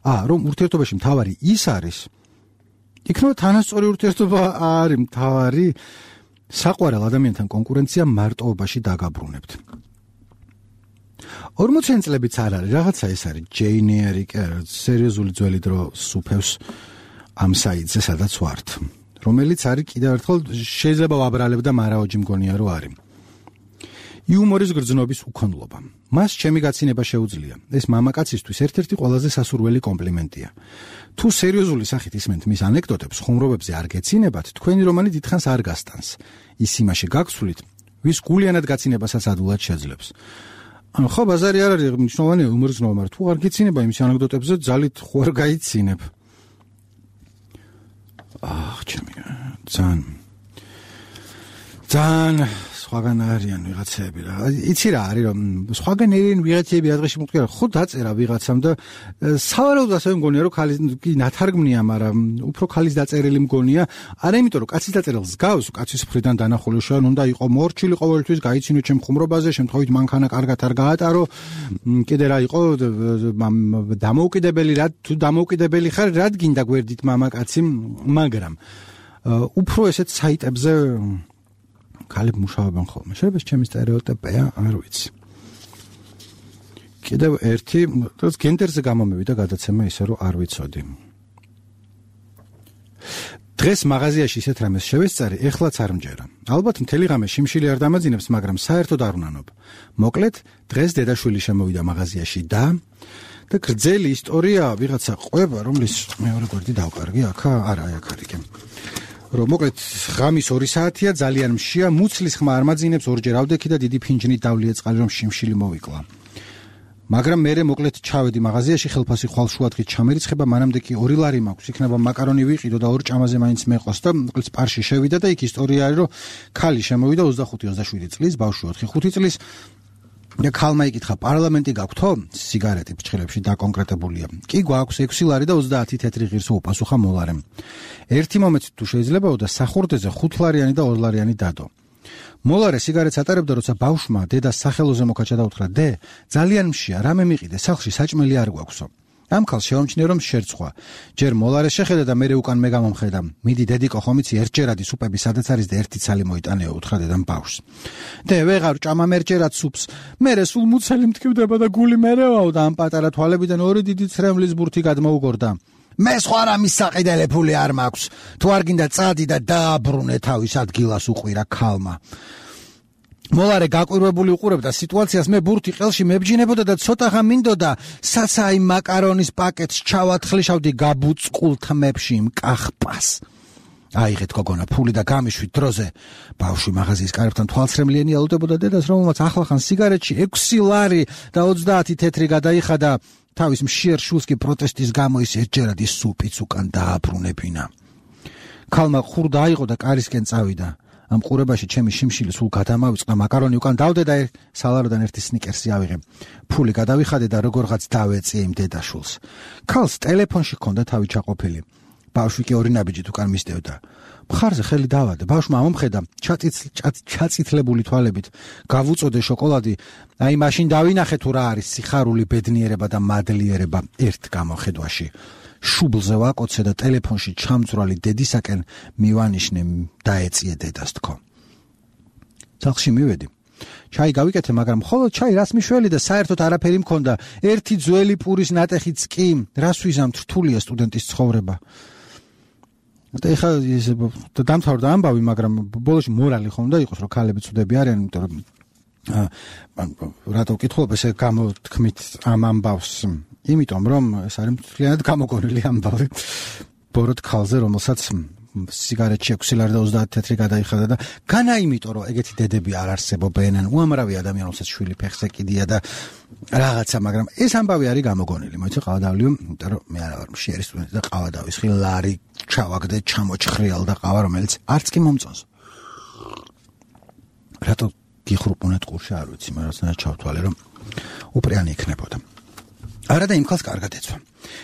ა, რომ ურთიერთობაში მთავარი ის არის. იქნება თანასწორი ურთიერთობა არის მთავარი, საყვარელ ადამიანთან კონკურენცია მარტოობაში დაგაბრუნებთ. ორმოციანი წლებიც არ არის, რაღაცა ეს არის, ჯეინ ეირი, სერიოზული ძველი დრო სუფევს ამ საიტზე, სადაც ვართ, რომელიც არის კიდევ ერთხელ შეიძლება ვაბრალებ და მარაოჯი მგონია რომ არის. იუმორის გრძნობის უქონლობა. მას ჩემი გაცინება შეუძლია. ეს მამაკაცისთვის ერთ-ერთი ყველაზე სასურველი კომპლიმენტია. თუ სერიოზული სახით ისმენთ მის ანეკდოტებს, ხუმრობებზე არ გეცინებათ, თქვენი რომანი დიდხანს არ გასტანს. ის იმაში გაგცვლით, ვის გულიანად გაცინებასაც ადვილად შეძლებს. ანუ ხო ბაზარი არ არის მნიშვნელოვანი იუმორის გრძნობა, მაგრამ თუ არ გეცინება იმის ანეკდოტებზე, ძალით ხო არ გაიცინებ. აх, ჩემი ძალიან ძალიან სხვაგან არიან ვიღაცები რა. იცი რა არის რომ სხვაგან ერენ ვიღაცები ადრეში მოხდა ხო დაწერა ვიღაცამ და სავარაუდოდ ასე მგონია რომ ქალის კი ნათარგმნია, მაგრამ უფრო ქალის დაწერილი მგონია. არა იმიტომ რომ კაცის დაწერილს გავს, კაცის მხრიდან დანახული შენ უნდა იყო მორჩილი ყოველთვის, გაიცინო ჩემ ხუმრობაზე, შემთხვევით მანქანა კარგად არ გაატარო, კიდე რა იყო დამოუკიდებელი რა, თუ დამოუკიდებელი ხარ, რად გინდა გვერდით მამაკაცი, მაგრამ უფრო ესეთ საიტებზე ქალები მუშაობენ ხოლმე. შეიძლება ჩემი სტერეოტიპია, არ ვიცი. კიდევ ერთი, ეს გენდერზე გამომევიდა გადაცემა ისე რომ არ ვიცოდი. დღეს მაღაზიაში ისეთ რამეს შევესწარი, ეხლაც არ მჯერა. ალბათ მთელი ღამე შიმშილი არ დამაძინებს, მაგრამ საერთოდ არ ვნანობ. მოკლედ, დღეს დედაშვილი შემოვიდა მაღაზიაში და და გრძელი ისტორია ვიღაცა ყვება, რომლის მეორე გვერდი დავკარგი, აქა, არა, აქ არის კი. რომ მოკლედ ღამის ორი საათია, ძალიან მშია, მუცლის ხმა არ მაძინებს, ორჯერ ავდექი და დიდი ფინჯნით დავლიე წყალი, რომ შიმშილი მოვიკლა. მაგრამ მე მოკლედ ჩავედი მაღაზიაში, ხელფასი ხვალშუადღით ჩამერიცხება, მანამდე კი ორი ლარი მაქვს, იქნება მაკარონი ვიყიდო და ორ ჭამაზე მაინც მეყოს და მოკლედ სპარში შევიდა და იქ ისტორია არის, რომ ქალი შემოვიდა ოცდახუთი ოცდაშვიდი წლის, ბავშვი ოთხი ხუთი წლის და ქალმა იკითხა, პარლამენტი გაქვთო? სიგარეტი ფრჩხილებში დაკონკრეტებულია. კი გვაქვს ექვსი ლარი და ოცდაათი თეთრი ღირსო უპასუხა მოლარემ. ერთი მომენტი თუ შეიძლებაო და სახურდეზე ხუთ ლარიანი და ორ ლარიანი დადო. მოლარე სიგარეტს ატარებდა, როცა ბავშვმა დედას სახელოზე მოკაჭა და უთხრა: "დე, ძალიან მშია, რამე მიყიდე, სახლში საჭმელი არ გვაქვსო." ამ ქალს შევამჩნიე, რომ შერცვა. ჯერ მოლარე შეხედა და მერე უკან მე გამომხედა. მიდი დედიკო, ხომ იცი ერთჯერადი სუპები სადაც არის და ერთი ცალი მოიტანეო, უთხრა დედამ ბავშვს. "დე, ვეღარ ჭამამ ერთჯერად სუპს. მერე სულ მუცელი მტკივდება და გული მერევაო და ამ პატარა თვალებიდან ორი დიდი ცრემლის ბურთი გადმოუგორდა. მე სხვა რამის საყიდელე ფული არ მაქვს. თუ არ გინდა წადი და დააბრუნე თავის ადგილას, უყვირა ქალმა. მოლარე გაკვირვებული უყურებდა სიტუაციას, მე ბურთი ყელში მებჯინებოდა და ცოტაღა მინდოდა საცაი მაკარონის პაკეტს ჩავათხლიშავდი გაბუწყულ თმებში იმ კახპას. აიღეთ გოგონა ფული და გამიშვით დროზე. ბავშვი მაღაზიის კარებთან თვალცრემლიანი ელოდებოდა დედას, რომელმაც ახლახან სიგარეტში ექვსი ლარი და ოცდაათი თეთრი გადაიხადა. თავის მშიერ შულს კი პროტესტის გამო ის ერთჯერადი სუპიც უკან დააბრუნებინა. ქალმა ხურდა აიღო და კარისკენ წავიდა. ამ ყურებაში ჩემი შიმშილი სულ გადამავიწყდა, მაკარონი უკან დავდე და სალაროდან ერთი სნიკერსი ავიღე. ფული გადავიხადე და როგორღაც დავეწიე იმ დედაშულს. ქალს ტელეფონში ჰქონდა თავი ჩაყოფილი. ბავშვი კი ორი ნაბიჯით უკან მისდევდა. მხარზე ხელი დავადე. ბავშვმა ამომხედა ჩაწითლებული თვალებით. გავუწოდე შოკოლადი. აი მაშინ დავინახე თუ რა არის სიხარული, ბედნიერება და მადლიერება ერთ გამოხედვაში. შუბლზე ვაკოცე და ტელეფონში ჩამძვრალი დედისაკენ მივანიშნე, დაეწიე დედას თქო. სახლში მივედი. ჩაი გავიკეთე, მაგრამ მხოლოდ ჩაი რას მიშველი და საერთოდ არაფერი მქონდა. ერთი ძველი პურის ნატეხიც კი, რას ვიზამთ, რთულია სტუდენტის ცხოვრება. და ეხლა ეს დამთავრდა ამბავი, მაგრამ ბოლოში მორალი ხომ და იყოს, რომ ქალები ცუდები არიან, იმიტომ რომ რატო ვკითხულობ ესე გამოთქმით ამ ამბავს? იმიტომ რომ ეს არის მთლიანად გამოგონილი ამბავი ბოროტ ქალზე, რომელსაც სიგარეტში ექვსი ლარი და ოცდაათი თეთრი გადაიხადა და განა იმიტომ რომ ეგეთი დედები არ არსებობენ, უამრავი ადამიანი, რომელსაც შვილი ფეხზე კიდია და რაღაცა, მაგრამ ეს ამბავი არის გამოგონილი. მოიცი ყავადავლიო, იმიტომ რომ მე არა ვარ მშიერი სტუდენტი და ყავადავის ხი ლარი ჩავაგდე, ჩამოჩხრიალ და ყავა, რომელიც არც კი მომწონს. რატო გიხრუპუნეთ ყურში, არ ვიცი, მაგრამ რაღაცნაირად ჩავთვალე, რომ უპრიანი იქნებოდა. არა და იმ ქალს კარგად ეცვა.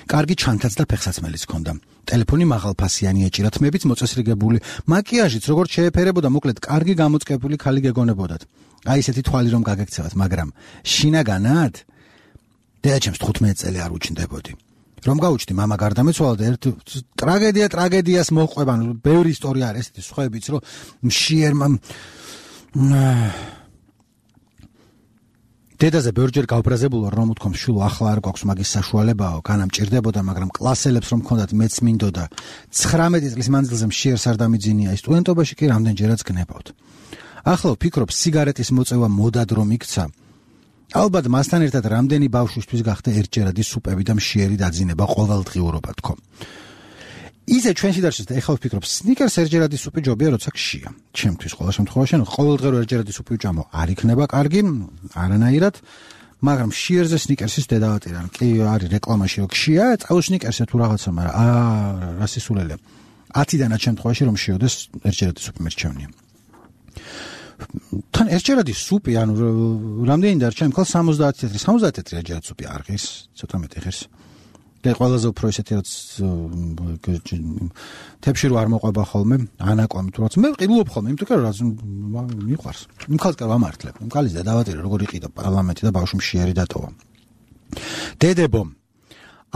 კარგი ჩანთაც და ფეხსაცმელიც ჰქონდა. ტელეფონი მაღალფასიანი ეჭირა, თმებიც მოწესრიგებული, მაკიაჟიც როგორც შეეფერებოდა, მოკლედ კარგი გამოწყებული ქალი გეგონებოდათ. აი ესეთი თვალი რომ გაგექცევათ, მაგრამ შინაგანად დედაჩემს თხუთმეტი წელი არ უჩნდებოდი. რომ გაუჩნდი, მამა გარდამეცვალა და ერთ ტრაგედია ტრაგედიას მოჰყვება, ბევრი ისტორია არის ესეთი სხვაებიც, რომ მშიერმა დედაზე ბევრჯერ გავბრაზებულა, რომ უთქვამს, შულო, ახლა არ გვაქვს მაგის საშუალებაო, განა მჭირდებოდა, მაგრამ კლასელებს რომ მქონდათ, მეც მინდოდა. ცხრამეტი წლის მანძილზე მშიერს არ დამიძინია, სტუდენტობაში კი რამდენჯერაც გნებავთ. ახლა ვფიქრობ, სიგარეტის მოწევა მოდად რომ იქცა. ალბათ მასთან ერთად რამდენი ბავშვისთვის გახდა ერთჯერადი სუპები და მშიერი დაძინება ყოველდღიურობა თქო. ისე ჩვენში დარჩეს და ეხლა ვფიქრობ, სნიკერს ერთჯერადი სუპი ჯობია, როცა გშია. ჩემთვის ყოველ შემთხვევაში, ყოველდღე რო ერთჯერადი სუპი ვჭამო, არ იქნება კარგი, არანაირად, მაგრამ მშიერზე სნიკერსის დედავატირან. კი არის რეკლამაში რო გშია, წაულ სნიკერსზე თუ რაღაცა, მაგრამ აა რა სისულელე. ათიდანაც შემთხვევაში რომ შეოდეს ერთჯერადი სუპი მერჩევნია. თან ერთჯერადი სუპი, ანუ რამდენი დარჩა, იმ ხალხს სამოცდაათი თეთრი, სამოცდაათი თეთრი ერთჯერადი სუპი არ ღირს, ცოტა მეტი ღირს. და ყველაზე უფრო ესეთი რაც თებში რო არ მოყვება ხოლმე, ანაკვამი თუ რაც მე ვყიდულობ ხოლმე, იმიტომ რომ რაც მიყვარს. იმ ხალხს კი ვამართლებ. იმ ხალხის დედავატირე როგორ იყიდა პარლამენტი და ბავშვი მშიერი დატოვა. დედებო,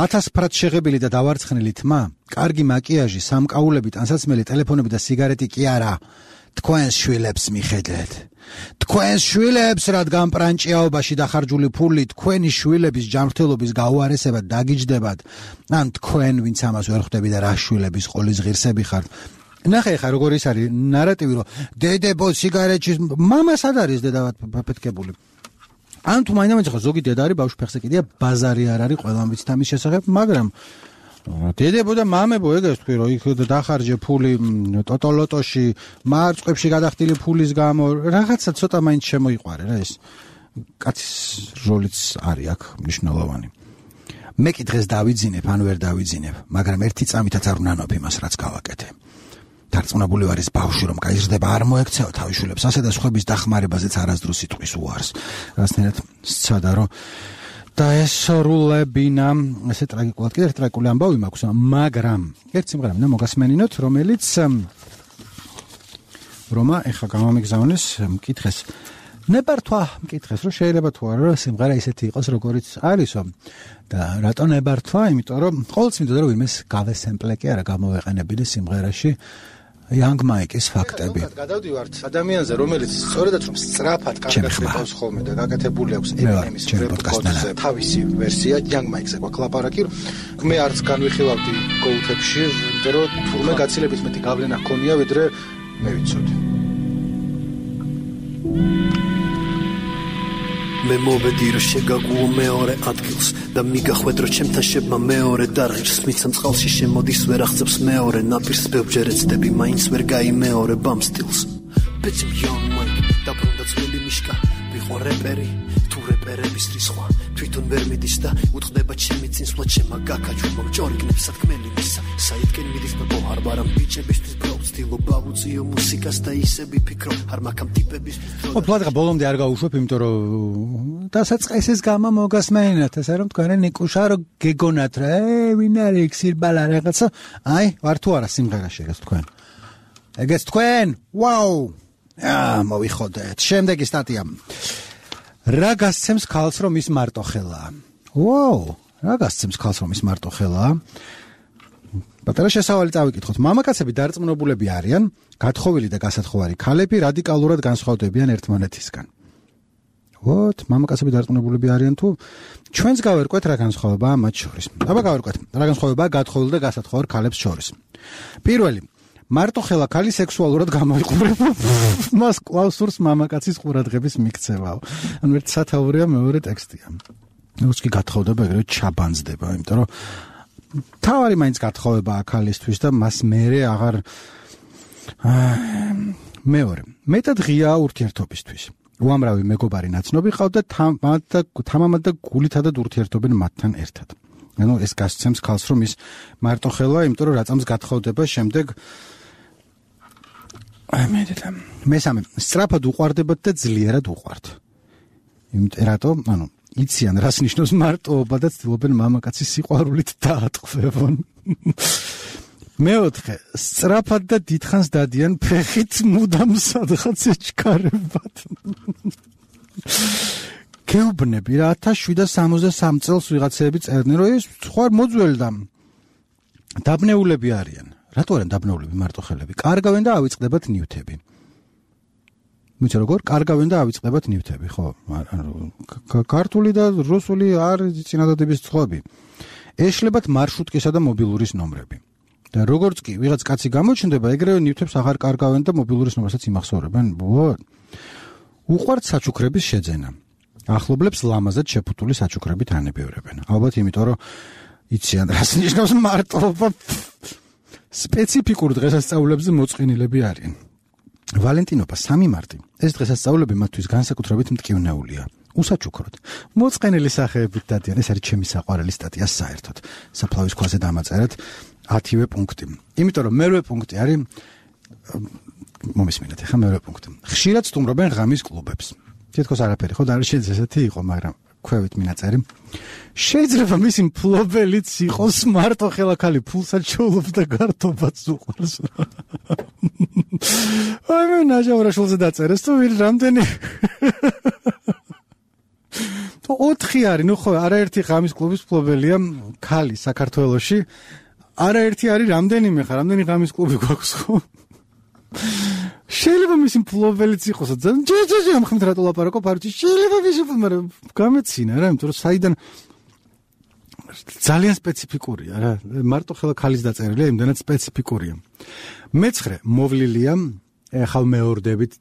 ათასფრად შეღებილი და დავარცხნილი თმა, კარგი მაკიაჟი, სამკაულები, ტანსაცმელი, ტელეფონები და სიგარეტი კი არა. თქვენს შვილებს მიხედეთ. თქვენს შვილებს, რადგან პრანჭიაობაში დახარჯული ფული თქვენი შვილების ჯანმრთელობის გაუარესებად დაგიჯდებათ, ან თქვენ, ვინც ამას ვერ ხვდები და რა შვილების ყოლის ღირსები ხართ. ნახე ხა როგორ ის არის ნარატივი, რომ დედებო სიგარეტში, მამა სად არის დედა პაფეთკებული. ან თუ მაინდა-მაინც ხო ზოგი დედა არის ბავშვი ფეხზე კიდია ბაზარი არ არის ყველამ ვიცით ამის შესახებ, მაგრამ დედებო და მამებო ეგეც თქვი რომ იქ დახარჯე ფული ტოტოლოტოში, მარწყებში გადახდილი ფულის გამო, რაღაცა ცოტა მაინც შემოიყვარე რა ეს. კაცის როლიც არის აქ მნიშვნელოვანი. მე კი დღეს დავიძინებ, ან ვერ დავიძინებ, მაგრამ ერთი წამითაც არ უნანობ იმას, რაც გავაკეთე. დარწმუნებული ვარ ის ბავშვი რომ გაიზრდება არ მოექცეო თავისშვილებს ასე და სხვების დახმარებაზეც არასდროს სიტყვის უარს. რასნაირად სცადა რომ დაესრულებინა ესე ტრაგიკულად კიდე ტრაგიკული ამბავი მაქვს, მაგრამ ერთ სიმღერა მინდა მოგასმენინოთ, რომელიც რომა ეხა გამომიგზავნეს მკითხეს ნებართვა მკითხეს რომ შეიძლება თუ არა სიმღერა ისეთი იყოს როგორიც არისო და რატო ნებართვა, იმიტომ რომ ყოველთვის მინდოდა რომ იმეს გავესემპლე კი არა გამოვეყენებინა სიმღერაში Young Mike-ის ფაქტები. გადავდივართ ადამიანზე, რომელიც სწორედაც რომ სწრაფად კარგად ხდება ხოლმე და გაკეთებული აქვს Eminem-ის პროდუქცია, თავისი ვერსია Young Mike-ზე გვაქვს ლაპარაკი. მე არც განვიხილავდი გოუთებში, იმიტომ რომ თურმე გაცილებით მეტი გავლენა ჰქონია, ვიდრე მე ვიცოდი. მე მოვედი რომ შეგაგუო მეორე ადგილს და მიგახვედ რომ ჩემთან შებმა მეორე დარღირს მიცემ წყალში შემოდის ვერ აღწევს მეორე ნაპირს ბევრჯერ ეცდები მაინც ვერ გაიმეორებ ამ სტილს ბეჭი Young Mike დაბრუნდა ძველი მიშკა ვიყო რეპერი თუ რეპერების რისხვა თვითონ ვერ მიდის და უთხდება ჩემი წინსვლა ჩემა გაკაჩვო ჯორი გნებს სათქმელი მისა საითკენ მიდის მოჰარ ბარამ ბიჭებისთვის ბრო ცდილობა ვუწიო მუსიკას და ისე ვიფიქრო არ მაქამ ტიპების ო პლატა ბოლომდე არ გავუშვებ იმიტომ რომ დასაწყისის გამა მოგასმენინათ ესე რომ თქვენ ნიკუშა რომ გეგონათ რა ე ვინ არის ქსირბალა რაღაცა აი ვარ თუ არა სიმღერაში ეგეც თქვენ ეგეც თქვენ ვაუ აა მოვიხოდეთ შემდეგი სტატია რა გასცემს ქალს რომ ის მარტო ხელაა ვაუ რა გასცემს ქალს რომ ის მარტო ხელაა პატარა შესავალი წავიკითხოთ მამაკაცები დარწმუნებულები არიან გათხოვილი და გასათხოვარი ქალები რადიკალურად განსხვავდებიან ერთმანეთისგან ვოთ მამაკაცები დარწმუნებულები არიან თუ ჩვენს გავერკვეთ რა განსხვავებაა მათ შორის აბა გავერკვეთ რა განსხვავებაა გათხოვილ და გასათხოვარ ქალებს შორის პირველი მარტო ხელა ქალი სექსუალურად გამოიყურება მას კლაუსურს მამაკაცის ყურადღების მიქცევაო ანუ ერთ სათაურია მეორე ტექსტია ნუც კი გათხოვდება ეგრევე ჩაბანძდება იმიტომ რომ თავარი მაინც გათხოვებაა ქალისთვის და მას მერე აღარ მეორე მეტად ღია ურთიერთობისთვის უამრავი მეგობარი ნაცნობი ყავდა თამამად და გულითადად ურთიერთობენ მათთან ერთად ანუ ეს გასცემს ქალს რომ ის მარტო ხელაა იმიტომ რომ რაწამს გათხოვდება შემდეგ ამედეთან მესამე სწრაფად უყვარდებათ და ძლიერად უყვართ იმიტომ რატო ანუ იციან რას ნიშნავს მარტოობა და ცდილობენ მამაკაცის სიყვარულით დაატყვევონ მეოთხე სწრაფად და დიდხანს დადიან ფეხით მუდამ სადღაც ეჩქარებათ გეუბნები რა ათას შვიდსათ სამოცდასამ წელს ვიღაცები წერდნენ რომ ეს სხვა მოძველდა დაბნეულები არიან რატო არიან დაბნეულები მარტო ხელები კარგავენ და ავიწყდებათ ნივთები მიცე როგორ კარგავენ და ავიწყდებათ ნივთები ხო ქართული და რუსული არ წინადადების წყობი ეშლებათ მარშრუტკისა და მობილურის ნომრები და როგორც კი ვიღაც კაცი გამოჩნდება ეგრევე ნივთებს აღარ კარგავენ და მობილურის ნომრსაც იმახსოვრებენ უყვართ საჩუქრების შეძენა ახლობლებს ლამაზად შეფუთული საჩუქრებით ანებევრებენ ალბათ იმიტომ რომ იციან რას ნიშნავს მარტოობა სპეციფიკურ დღესასწაულებზე მოწყინილები არიან ვალენტინობა სამი მარტი ეს დღესასწაულები მათთვის განსაკუთრებით მტკივნეულია უსაჩუქროდ მოწყენილი სახეებით დადიან ეს არის ჩემი საყვარელი სტატია საერთოდ საფლავის ქვაზე დამაწერეთ ათივე პუნქტი იმიტომ რომ მერვე პუნქტი არის მომისმინეთ ახლა მერვე პუნქტი ხშირად სტუმრობენ ღამის კლუბებს თითქოს არაფერი ხო და არ შეიძლება ესეთი იყო მაგრამ ქვევით მინაწერი შეიძლება მისი მფლობელიც იყოს მარტო ხელა ქალი ფულსაც ჩაულობს და გართობაც უყურს აი მე ნაჟავრაშულზე დაწერეს თუ ვინ რამდენი თუ ოთხი არის ნუ ხო არაერთი ღამის კლუბის მფლობელია ქალი საქართველოში არაერთი არის რამდენიმე ხარ რამდენი ღამის კლუბი გვაქვს ხო შეიძლება მისი მფლობელიც იყოსო ძალიან ჯეჯეჯე ამ ხმით რატო ლაპარაკობ არჩი შეიძლება მისი მაგრამ გამეცინა რა იმიტომ რომ საიდან ძალიან სპეციფიკურია რა მარტო ხელა ქალის დაწერილია იმდანაც სპეციფიკურია მეცხრე მოვლილია ეხალ მეორდებით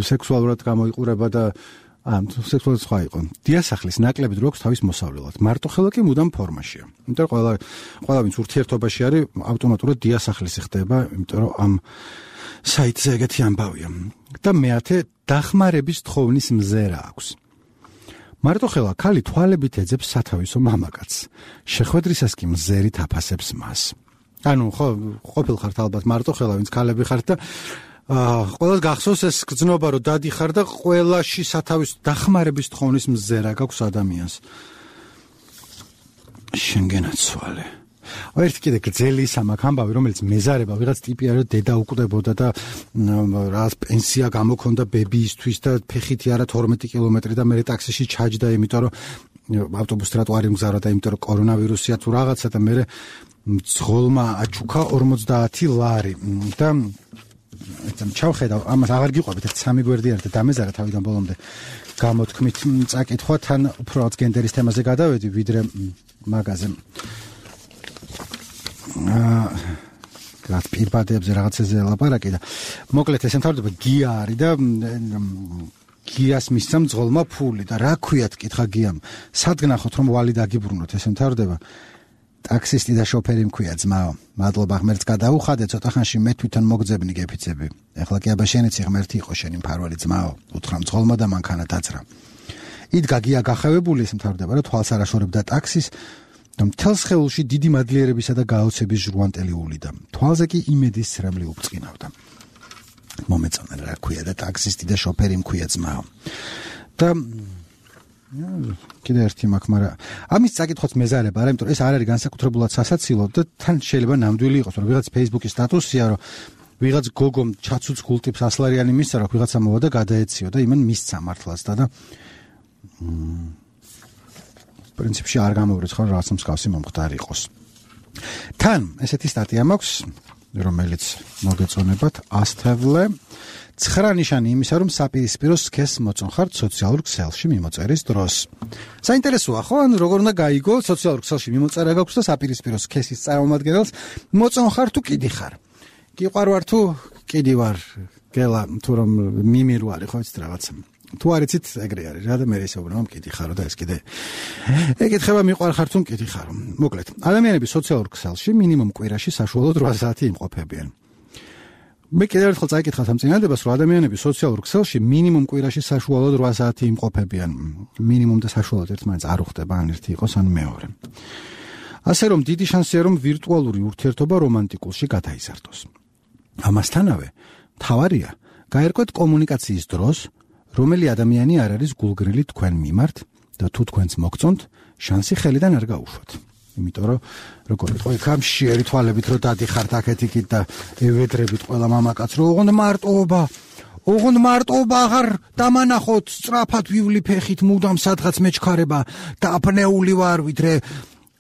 სექსუალურად გამოიყურება და ამ სექსუალურად სხვა იყო დიასახლის ნაკლებით რო აქვს თავის მოსავლელად მარტო ხელა კი მუდამ ფორმაშია იმიტომ რომ ყველა ყველა ვინც ურთიერთობაში არის ავტომატურად დიასახლისი ხდება იმიტომ რომ ამ საიტზე ეგეთი ამბავია და მეათე დახმარების თხოვნის მზერა აქვს მარტო ხელა ქალი თვალებით ეძებს სათავისო მამაკაცს შეხვედრისას კი მზერით აფასებს მას ანუ ხო ყოფილ ხართ ალბათ მარტო ხელა ვინც ქალები ხართ და აა ყველას გახსოვს ეს გზნობა რომ დადიხარ და ყველაში სათავის დახმარების თხოვნის მზერა გაქვს ადამიანს შენგენაცვალე ერთ კიდე გრძელი სამაკ ამბავი რომელიც მეზარება ვიღაც ტიპი არა დედა უკვდებოდა და რა პენსია გამოქონდა ბებიისთვის და ფეხითი არა თორმეტი კილომეტრი და მე ტაქსიში ჩაჯდა იმიტომ რომ ავტობუს ტროტუარი მგზავრა და იმიტომ რომ კორონავირუსია თუ რაღაცა და მე ძღოლმა აჩუქა ორმოცდაათი ლარი და ეცამ ჩავხედავ ამას აღარ გიყვებით ერთ სამი გვერდი არის და დამეზარა თავიდან ბოლომდე გამოთქმით წაკითხვა თან უფრო რაც გენდერის თემაზე გადავედი ვიდრე მაგაზე აა რაც პირბადებზე რაღაცაზე ლაპარაკი და მოკლედ ეს მთავრდება გია არის და გიას მისცემ ძღოლმა ფული და რა ქვიათ კითხა გიამ სად გნახოთ რომ ვალი დაგიბრუნოთ ეს მთავრდება ტაქსისტი და შოფერი მქვია ძმაო მადლობა ღმერთს გადაუხადე ცოტა ხანში მე თვითონ მოგძებნი გეფიცები ეხლა კი აბა შენიც ღმერთი იყო შენი მფარველი ძმაო უთხრა მძღოლმა და მანქანა დაძრა იდგა გია გახევებული ეს მთავრდება რა თვალს არაშორებდა ტაქსის და მთელ სხეულში დიდი მადლიერებისა და გაოცების ჟრუანტელი ულიდა თვალზე კი იმედის ცრემლი უბწყინავდა მომეწონა რა ქვია და ტაქსისტი და შოფერი მქვია ძმაო და კიდე ერთი მაქვს მაგრამ ამის წაკითხოც მეზარება არა იმიტომ რომ ეს არ არის განსაკუთრებულად სასაცილო და თან შეიძლება ნამდვილი იყოს რომ ვიღაც Facebook-ის სტატუსია რომ ვიღაც გოგომ ჩაცუცგულ ტიპს ასლარიანი მისცა რომ ვიღაცა მოვა და გადაეციო და იმან მისცა მართლაც და და პრინციპში არ გამოვრიცხავ რაღაც მსგავსი მომხდარი იყოს თან ესეთი სტატია მაქვს რომელიც მოგეწონებათ ასთავლე ცხრა ნიშანი იმისა რომ საპირისპირო სქესს მოწონხართ სოციალურ ქსელში მიმოწერის დროს საინტერესოა ხო ანუ როგორ უნდა გაიგო სოციალურ ქსელში მიმოწერა გაქვს და საპირისპირო სქესის წარმომადგენელს მოწონხარ თუ კიდი ხარ გიყვარვარ თუ კიდი ვარ გელა თუ რომ მიმირ ვარ ხო იცით რაღაცა თუ არ იცით ეგრე არის რა და მე ისე ვუბრალოდ კიდი ხარო და ეს კიდე ეკითხება მიყვარხარ თუ კიდი ხარო მოკლედ ადამიანები სოციალურ ქსელში მინიმუმ კვირაში საშუალოდ რვა საათი იმყოფებიან მე კიდევ ერთხელ წაიკითხავთ ამ წინადადებას რომ ადამიანები სოციალურ ქსელში მინიმუმ კვირაში საშუალოდ რვა საათი იმყოფებიან მინიმუმ და საშუალოდ ერთმანეთს არ უხდება ან ერთი იყოს ან მეორე ასე რომ დიდი შანსია რომ ვირტუალური ურთიერთობა რომანტიკულში გადაიზარდოს ამასთანავე მთავარია გაერკვეთ კომუნიკაციის დროს რომელი ადამიანი არ არის გულგრილი თქვენ მიმართ და თუ თქვენს მოგწონთ შანსი ხელიდან არ გაუშვათ იმიტომ რომ როგორ ვიტყვი ხამ შეერი თვალებით რომ დადიხართ აქეთ იქით და ევედრებით ყველა მამაკაც რომ ოღონდ მარტოობა ოღონდ მარტოობა აღარ დამანახოთ სწრაფად ვივლი ფეხით მუდამ სადღაც მეჩქარება დაფნეული ვარ ვიდრე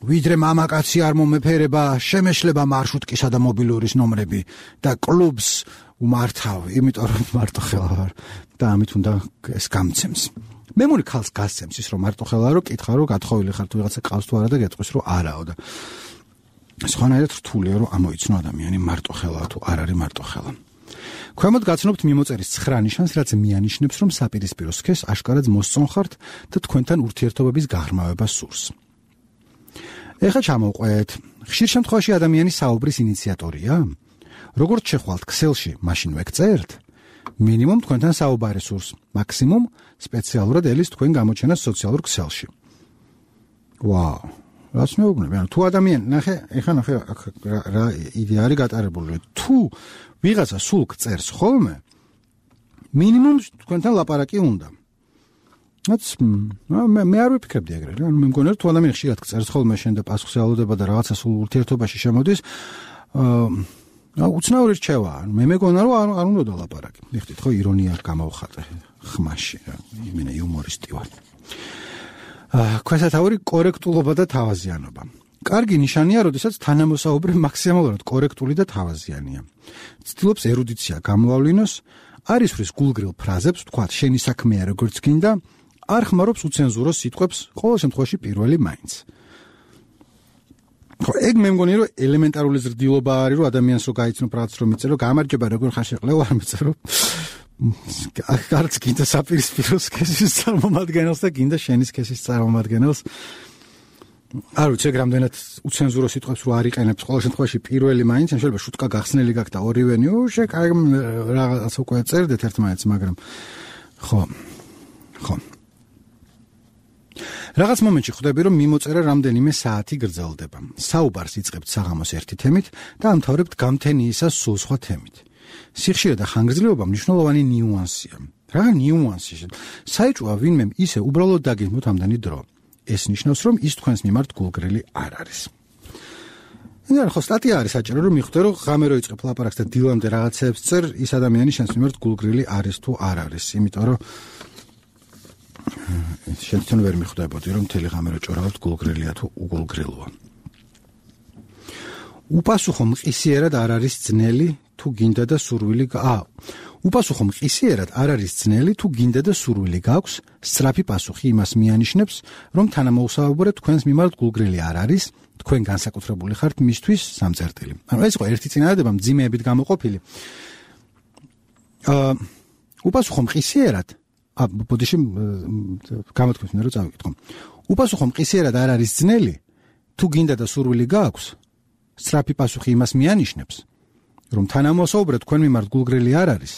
ვიდრე მამაკაცი არ მომეფერება შემეშლება მარშრუტკისა და მობილურის ნომრები და კლუბს უმართავ იმიტომ რომ მარტო ხელა ვარ და ამით უნდა ეს გამცემს მე მური ხალხს გასცემს ის რომ მარტო ხელა რომ კითხა რომ გათხოვილი ხარ თუ ვიღაცა ყავს თუ არა და გეტყვის რომ არაო და სხვანაირად რთულია რომ ამოიცნო ადამიანი მარტო ხელაა თუ არ არის მარტო ხელა ქვემოთ გაცნობთ მიმოწერის ცხრა ნიშანს რაც მიანიშნებს რომ საპირისპირო სქესს აშკარად მოსწონხართ და თქვენთან ურთიერთობების გაღრმავება სურს ეხლა ჩამოვყვეთ ხშირ შემთხვევაში ადამიანი საუბრის ინიციატორია როგორც შეხვალთ ქსელში მაშინ ვეკწერთ მინიმუმ თქვენთან საუბარი სურს მაქსიმუმ სპეციალურად ელის თქვენ გამოჩენას სოციალურ ქსელში ვაუ რაც მეუბნები ანუ თუ ადამიანი ნახე ეხლა ნახე რა იდეა არის გატარებული თუ ვიღაცა სულ წერს ხოლმე მინიმუმ თქვენთან ლაპარაკი უნდა რაც მე მე არ ვიფიქრებდი ეგრე რა მე მგონია თუ ადამიანი ხშირად წერს ხოლმე შენ და პასუხს ელოდება და რაღაცა სულ ურთიერთობაში შემოდის აა უცნაური რჩევა ანუ მე მეგონა რომ არ უნდა ლაპარაკი მიხდით ხო ირონია გამოვხატე ხმაში რა იმენა იუმორისტი ვარ აა ქვესათაური კორექტულობა და თავაზიანობა კარგი ნიშანია, როდესაც თანამოსაუბრე მაქსიმალურად კორექტული და თავაზიანია. ცდილობს ერუდიცია გამოავლინოს, არ ისვრის გულგრილ ფრაზებს, თქვათ, შენი საქმეა როგორც გინდა, არ ხმარობს უცენზურო სიტყვებს, ყოველ შემთხვევაში პირველი მაინც. ხო, ეგ მე მგონია, რომ ელემენტარული ზრდილობა არის, რომ ადამიანს რო გაიცნო პრაც რომ მიწერო, გამარჯობა, როგორ ხარ შეყლევ, არ მიწერო. არც გინდა საპირისპირო სქესის წარმომადგენელს და გინდა შენი სქესის წარმომადგენელს. არ ვიცი, ეგ რამდენად უცენზურო სიტყვებს რო არ იყენებს, ყოველ შემთხვევაში პირველი მაინც, შეიძლება შუტკა გახსნელი გაქვს და ორივენი, უშე, კაი, რაღაც უკვე წერდეთ ერთმანეთს, მაგრამ ხო. ხო. რაღაც მომენტში ხვდები, რომ მიმოწერა რამდენიმე საათი გრძელდება. საუბარს იწყებთ საღამოს ერთი თემით და ამთავრებთ გამთენიისას სულ სხვა თემით. სიხშირე და ხანგრძლივობა მნიშვნელოვანი ნიუანსია. რა ნიუანსი? საეჭვოა ვინმემ ისე უბრალოდ დაგეგმოთ ამდენი დრო. ეს ნიშნავს, რომ ის თქვენს მიმართ გულგრილი არ არის. ნუ ხო სტატია არის საჭირო, რომ მიხვდე, რომ ღამე რო იწყებ ლაპარაკს და დილამდე რაღაცებს წერ, ის ადამიანი შენს მიმართ გულგრილი არის თუ არ არის, იმიტომ რომ შენ თვითონ ვერ მიხვდებოდი, რომ მთელი ღამე რო ჭორავთ გულგრილია თუ უგულგრილოა. უპასუხო მყისიერად არ არის ძნელი თუ გინდა და სურვილი აა უპასუხო მყისიერად არ არის ძნელი თუ გინდა და სურვილი გაქვს, სწრაფი პასუხი იმას მიანიშნებს, რომ თანამოუსაუბრე თქვენს მიმართ გულგრილი არ არის, თქვენ განსაკუთრებული ხართ მისთვის სამწერტილი. ანუ ეს იყო ერთი წინადადება მძიმეებით გამოყოფილი. აა უპასუხო მყისიერად ა ბოდიში გამოთქვით მე რომ წავიკითხო. უპასუხო მყისიერად არ არის ძნელი თუ გინდა და სურვილი გაქვს, სწრაფი პასუხი იმას მიანიშნებს, რომ თანამოსაუბრე თქვენ მიმართ გულგრილი არ არის,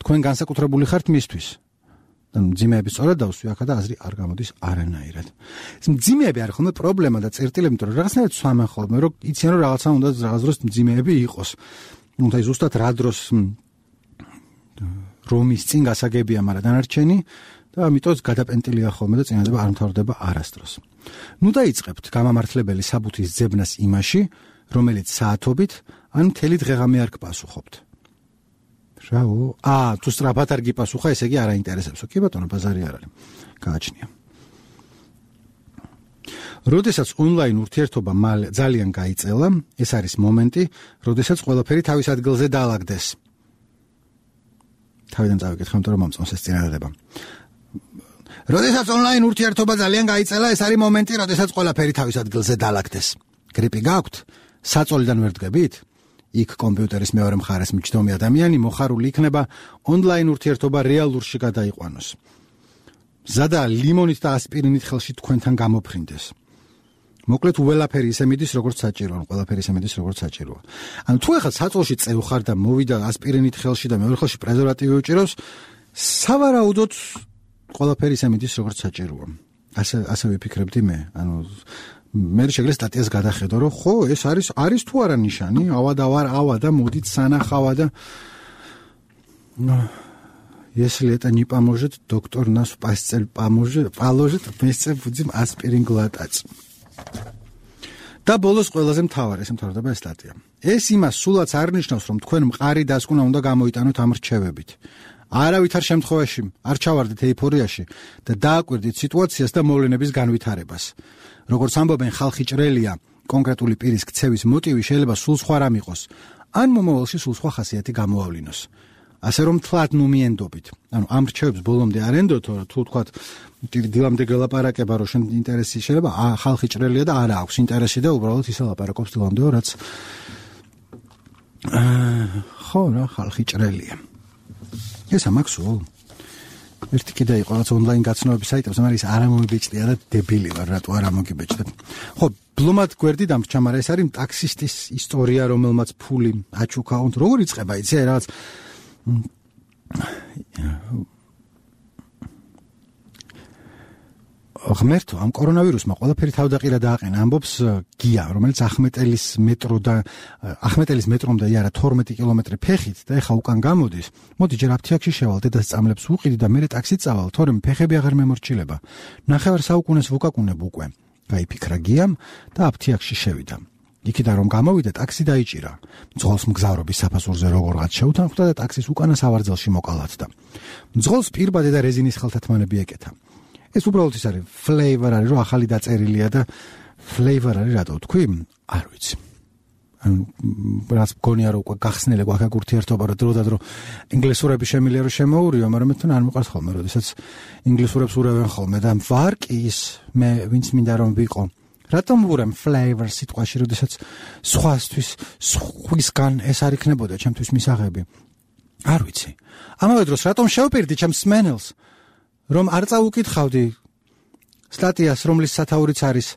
თქვენ განსაკუთრებული ხართ მისთვის. და მძიმეები სწორად დავსვი ახლა და აზრი არ გამოდის არანაირად. ეს მძიმეები არის ხოლმე პრობლემა და წერტილები, იმიტომ რომ რაღაცნაირად სვამენ ხოლმე, რომ იციან რომ რაღაცა უნდა რაღაც დროს მძიმეები იყოს. ნუ და ზუსტად რა დროს რომის წინ გასაგებია, მაგრამ დანარჩენი და ამიტომ გადაპენტილია ხოლმე და წინადადება არ მთავრდება არასდროს. ნუ დაიწყებთ გამამართლებელი საბუთის ძებნას იმაში, რომელიც საათობით ან მთელი დღეღამე არ გპასუხობთ. რაო? აა, თუ სწრაფად არ გიპასუხა, ესე იგი არ აინტერესებსო. კი ბატონო, ბაზარი არ არის. გააჩნია. როდესაც ონლაინ ურთიერთობა მალე ძალიან გაიწელა, ეს არის მომენტი, როდესაც ყველაფერი თავის ადგილზე დაალაგდეს. თავიდან წავიკითხე, იმიტომ რომ მომწონს ეს წინადადება. როდესაც ონლაინ ურთიერთობა ძალიან გაიწელა, ეს არის მომენტი, როდესაც ყველაფერი თავის ადგილზე დაალაგდეს. გრიპი გაქვთ? საწოლიდან ვერ დგებით? იქ კომპიუტერის მეორე მხარეს მიჯდომი ადამიანი მოხარული იქნება ონლაინ ურთიერთობა რეალურში გადაიყვანოს. ზადა ლიმონით და ასპირინით ხელში თქვენთან გამოფრინდეს. მოკლედ უველაფერი ისე მიდის, როგორც საჭიროა, ყველაფერი ისე მიდის, როგორც საჭიროა. ანუ თუ ახლა საწოლში წევხარ და მოვიდა ასპირინით ხელში და მეორე ხელში პრეზერვატივი უჭირავს, სავარაუდოდ ყველაფერი ისე მიდის, როგორც საჭიროა. ასე ასე ვიფიქრებდი მე. ანუ მე შეგვიძლია სტატიას გადახედო, რომ ხო, ეს არის არის თუ არა ნიშანი, ავა და ვარ, ავა და მოდით სანახავა და если это не поможет, доктор нас в постель поможет, положит вместе будем аспирин глотать. და ბოლოს ყველაზე მთავარი, ეს მთავრდება ეს სტატია. ეს იმას სულაც არ ნიშნავს, რომ თქვენ მყარი დასკვნა უნდა გამოიტანოთ ამ რჩევებით. არავითარ შემთხვევაში არ ჩავარდით ეიფორიაში და დააკვირდით სიტუაციას და მოვლენების განვითარებას. როგორც ამბობენ, ხალხი ჭრელია, კონკრეტული პირის ქცევის მოტივი შეიძლება სულ სხვა რამ იყოს, ან მომავალში სულ სხვა ხასიათი გამოავლინოს. ასე რომ თლად ნუ მიენდობით. ანუ ამ რჩევებს ბოლომდე არ ენდოთ, თუ თქვათ დილამდე გელაპარაკება, რომ შენ ინტერესი შეიძლება, ხალხი ჭრელია და არა აქვს ინტერესი და უბრალოდ ისე ლაპარაკობს დილამდე, რაც ხო, რა, ხალხი ჭრელია. ეს ამაქსო. ერთი კიდე იყო რაც ონლაინ გაცნობების საიტებს, მაგრამ ის არ ამომიბეჭდია და დებილი ვარ, რატო არ ამოგიბეჭდეთ. ხო, ბლომად გვერდი დამრჩა, მაგრამ ეს არის ტაქსისტის ისტორია, რომელმაც ფული აჩუქა, როგორ იწყება, იცი, რაღაც ღმერთო, ამ კორონავირუსმა ყველაფერი თავდაყირა დააყენა, ამბობს გია, რომელიც ახმეტელის მეტრო და ახმეტელის მეტრომდე იარა თორმეტი კილომეტრი ფეხით და ეხა უკან გამოდის. მოდი ჯერ აფთიაქში შევალ, დედას წამლებს უყიდი და მერე ტაქსით წავალ, თორემ ფეხები აღარ მემორჩილება. ნახევარ საუკუნეს ვუკაკუნებ უკვე. გაიფიქრა გიამ და აფთიაქში შევიდა. იქიდან რომ გამოვიდა, ტაქსი დაიჭირა. მძღოლს მგზავრობის საფასურზე როგორღაც შეუთანხმდა და ტაქსის უკანა სავარძელში მოკალათდა. მძღოლს პირბადე და რეზინის ხელთათმანები ეკეთა. ეს უბრალოდ ის არის, ფლეივერ არის, რომ ახალი დაწერილია და flavor არის რატო თქვი? არ ვიცი. ანუ რაც მგონია რომ უკვე გახსნილი გვაქვს ურთიერთობა რომ დრო და დრო ინგლისურები შემიძლია რომ შემოურიო, მაგრამ მე თან არ მიყვარს ხოლმე, როდესაც ინგლისურებს ურავენ ხოლმე და ვარ კი ის მე ვინც მინდა რომ ვიყო. რატომ ვურემ flavor სიტყვაში, როდესაც სხვასთვის სხვისგან ეს არ იქნებოდა ჩემთვის მისაღები? არ ვიცი. ამავე დროს რატომ შევპირდი ჩემს სმენელს, რომ არ წაუკითხავდი სტატიას, რომლის სათაურიც არის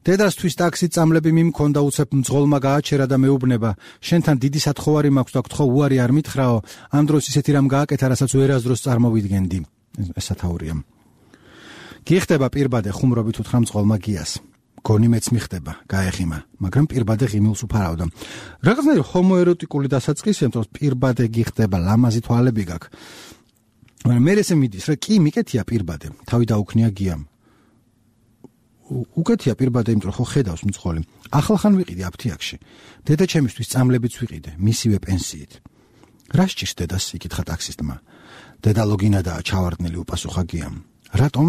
დედასთვის ტაქსით წამლები მიმქონდა უცებ მძღოლმა გააჩერა და მეუბნება შენთან დიდი სათხოვარი მაქვს და გთხოვ უარი არ მითხრაო, ამ დროს ისეთი რამ გააკეთა, რასაც ვერასდროს წარმოვიდგენდი. ეს სათაურია. გიხდება პირბადე ხუმრობით უთხრა მძღოლმა გიას. გონი მეც მიხდება, გაეხიმა, მაგრამ პირბადე ღიმილს უფარავდა. რაღაცნაირი ჰომოეროტიკული დასაწყისია, თორე პირბადე გიხდება, ლამაზი თვალები გაქვს. მაგრამ მე ესე მიდის, რა კი მიკეთია პირბადე, თავი დაუქნია გიამ. უკეთია პირბადე, იმიტომ ხო ხედავს მძღოლი. ახალხან ვიყიდე აფთიაქში. დედა ჩემისთვის წამლებიც ვიყიდე, მისივე პენსიით. რა სჭირს დედას, იკითხა ტაქსისტმა. დედა ლოგინადაა ჩავარდნილი, უპასუხა გიამ. რატომ?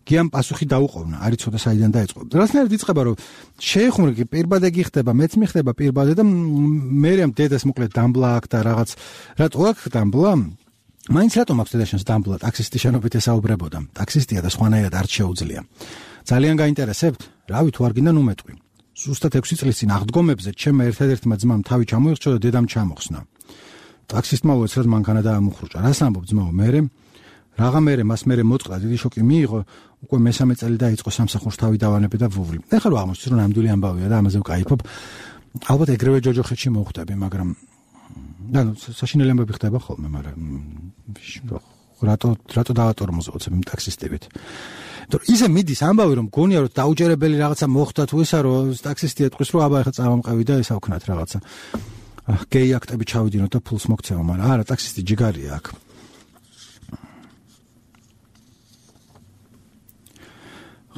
გიამ პასუხი დაუყოვნა, არ იცოდა საიდან დაიწყო. რასნაირად იწყება, რომ შეეხმურე პირბადე გიხდება, მეც მიხდება პირბადე და მერემ დედას მოკლედ დამბლა აქვს და რაღაც. რატო აქვს დამბლა? მაინც რატომ აქვს დედაშენს დამბლა? ტაქსისტი შენობით ესაუბრებოდა. ტაქსისტია და სხვანაირად არ შეუძლია. ძალიან გაინტერესებთ? რავი, თუ არ გინდა ნუ მეტყვი. ზუსტად ექვსი წლის წინ აღდგომებზე ჩემმა ერთადერთმა ძმამ თავი ჩამოიხჭო და დედამ ჩამოხსნა. ტაქსისტმა უეცრად მანქანა დაამუხრუჭა. რას ამბობ ძმაო, მერე? რაღა მერე მას მერე მოწყდა, დიდი შოკი მიიღო, უკვე მესამე წელი დაიწყო სამსახურს თავი დავანებე და ვუვლი. ეხლა რა აღმოჩნდა, რომ ნამდვილი ამბავია და ამაზე ვკაიფობ. ალბათ ეგრევე ჯოჯოხეთში მოხვდები, მაგრამ ანუ საშინელი ამბები ხდება ხოლმე, მაგრამ რატო რატო დავატორმოზოთ იმ ტაქსისტებით? თორე ისე მიდის ამბავი, რომ გონია რომ დაუჯერებელი რაღაცა მოხდა თუ ისა, რომ ტაქსისტი ეტყვის, რომ აბა ეხლა წავამყევი და ესა ვქნათ რაღაცა. გეი აქტები ჩავიდინოთ და ფულს მოგცემა, მაგრამ არა, ტაქსისტი ჯიგარია აქ.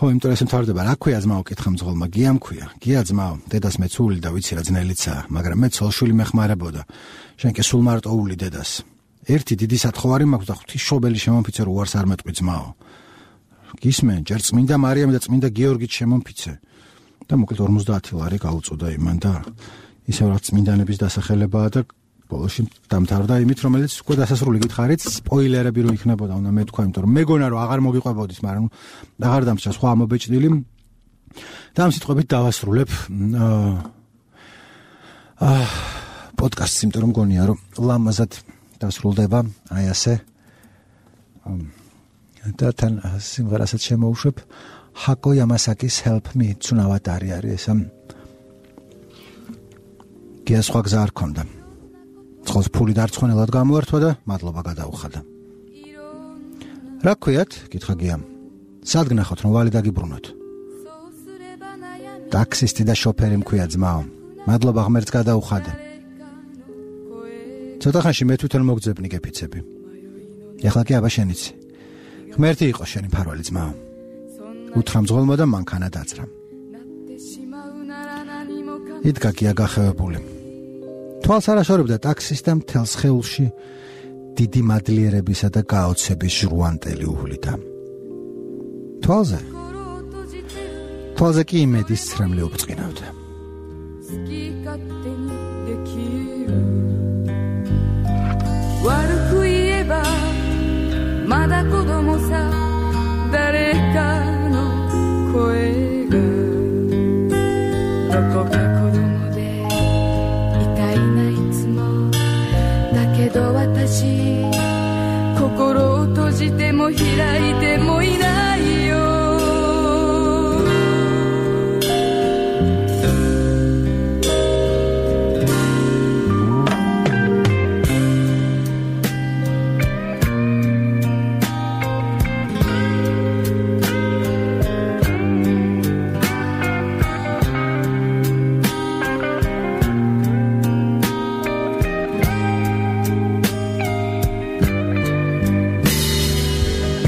ხო, იმიტომ ეს მთავრდება, რა ქვია ძმაო, კითხა მძღოლმა, გიამ ქვია. გია ძმაო, დედას მეცული და ვიცი რა ძნელიცაა, მაგრამ მე ცოლშვილი მეხმარებოდა. შენ კი სულ მარტო ული დედას. ერთი დიდი სათხოვარი მაქვს და ღვთისმშობელი შემომფიცე, რომ უარს არ მეტყვი ძმაო. გისმენ, ჯერ წმინდა მარიამი და წმინდა გიორგიც შემომფიცე. და მოკლედ ორმოცდაათი ლარი გაუწოდა იმან და ისევ რაც წმინდანების დასახელებაა და ბოლოში დამთავრდა იმით, რომელიც უკვე დასასრული გითხარით, სპოილერები რო იქნებოდა, უნდა მეთქვა, იმიტომ რომ მეგონა რომ აღარ მოგიყვებოდის, მაგრამ აღარ დამჭა სხვა ამობეჭდილი. და ამ სიტყვებით დავასრულებ აა პოდკასტს, იმიტომ რომ გონია რომ ლამაზად დასრულდება, აი ასე. და თან სიმღერასაც შემოუშვებ, ჰაკო იამასაკის Help Me, ცუნავატარი არის ეს. გია სხვა გზა არ ქონდა. წყალს ფული დარწმუნებულად გამოართვა და მადლობა გადაუხადა. რა ქვიათ? კითხა გიამ. სად გნახოთ რომ ვალი დაგიბრუნოთ? ტაქსისტი და შოფერი მქვია ძმაო. მადლობა ღმერთს გადაუხადე. ცოტა ხანში მე თვითონ მოგძებნი გეფიცები. ეხლა კი აბა შენიც. ღმერთი იყო შენი ფარველი ძმაო. უთხრა მძღოლმა და მანქანა დაძრა. იდგა გია გახევებული. თვალს არ აშორებდა ტაქსისტამ მთელ სხეულში დიდი მადლიერებისა და გაოცების ჟრუანტელი უვლიდა. თვალზე თვალზე კი იმედის ცრემლი უბწყინავდა.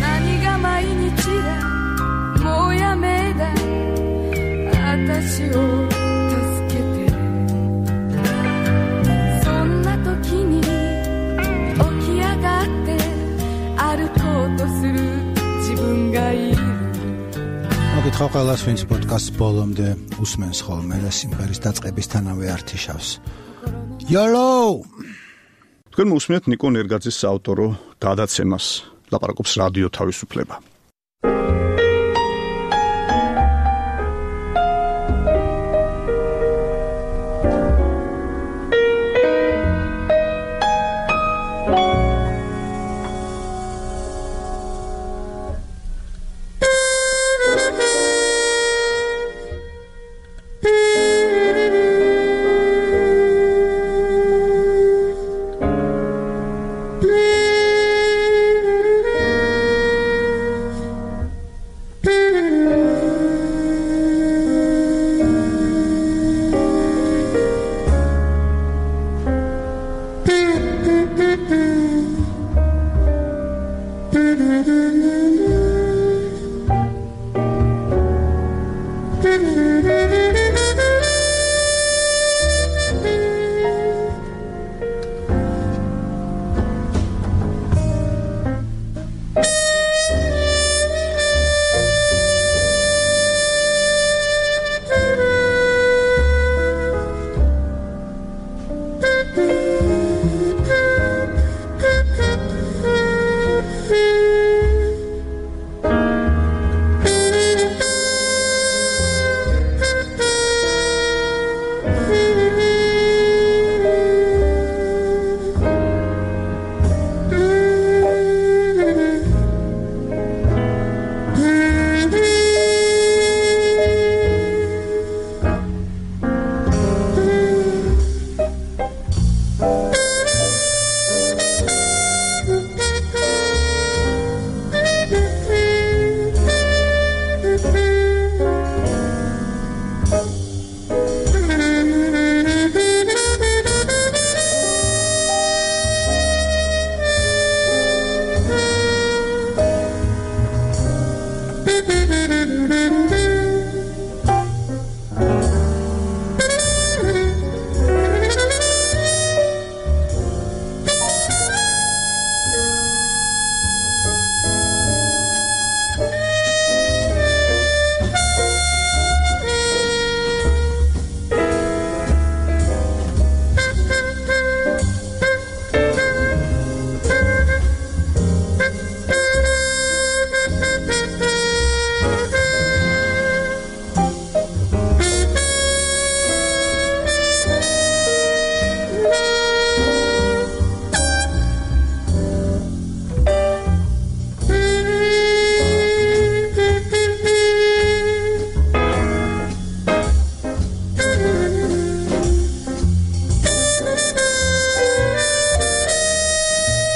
Nani ga 毎日 მოგვითხრა ყველას, ვინც პოდკასტს ბოლომდე უსმენს ხოლმე და სიმღერის დაწყებისთანავე ართიშავს. Yolo! თქვენ მოусმენთ ნიკო ნერგაძის საავტორო გადაცემას. ლაპარაკობს რადიო თავისუფლება.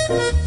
Thank you.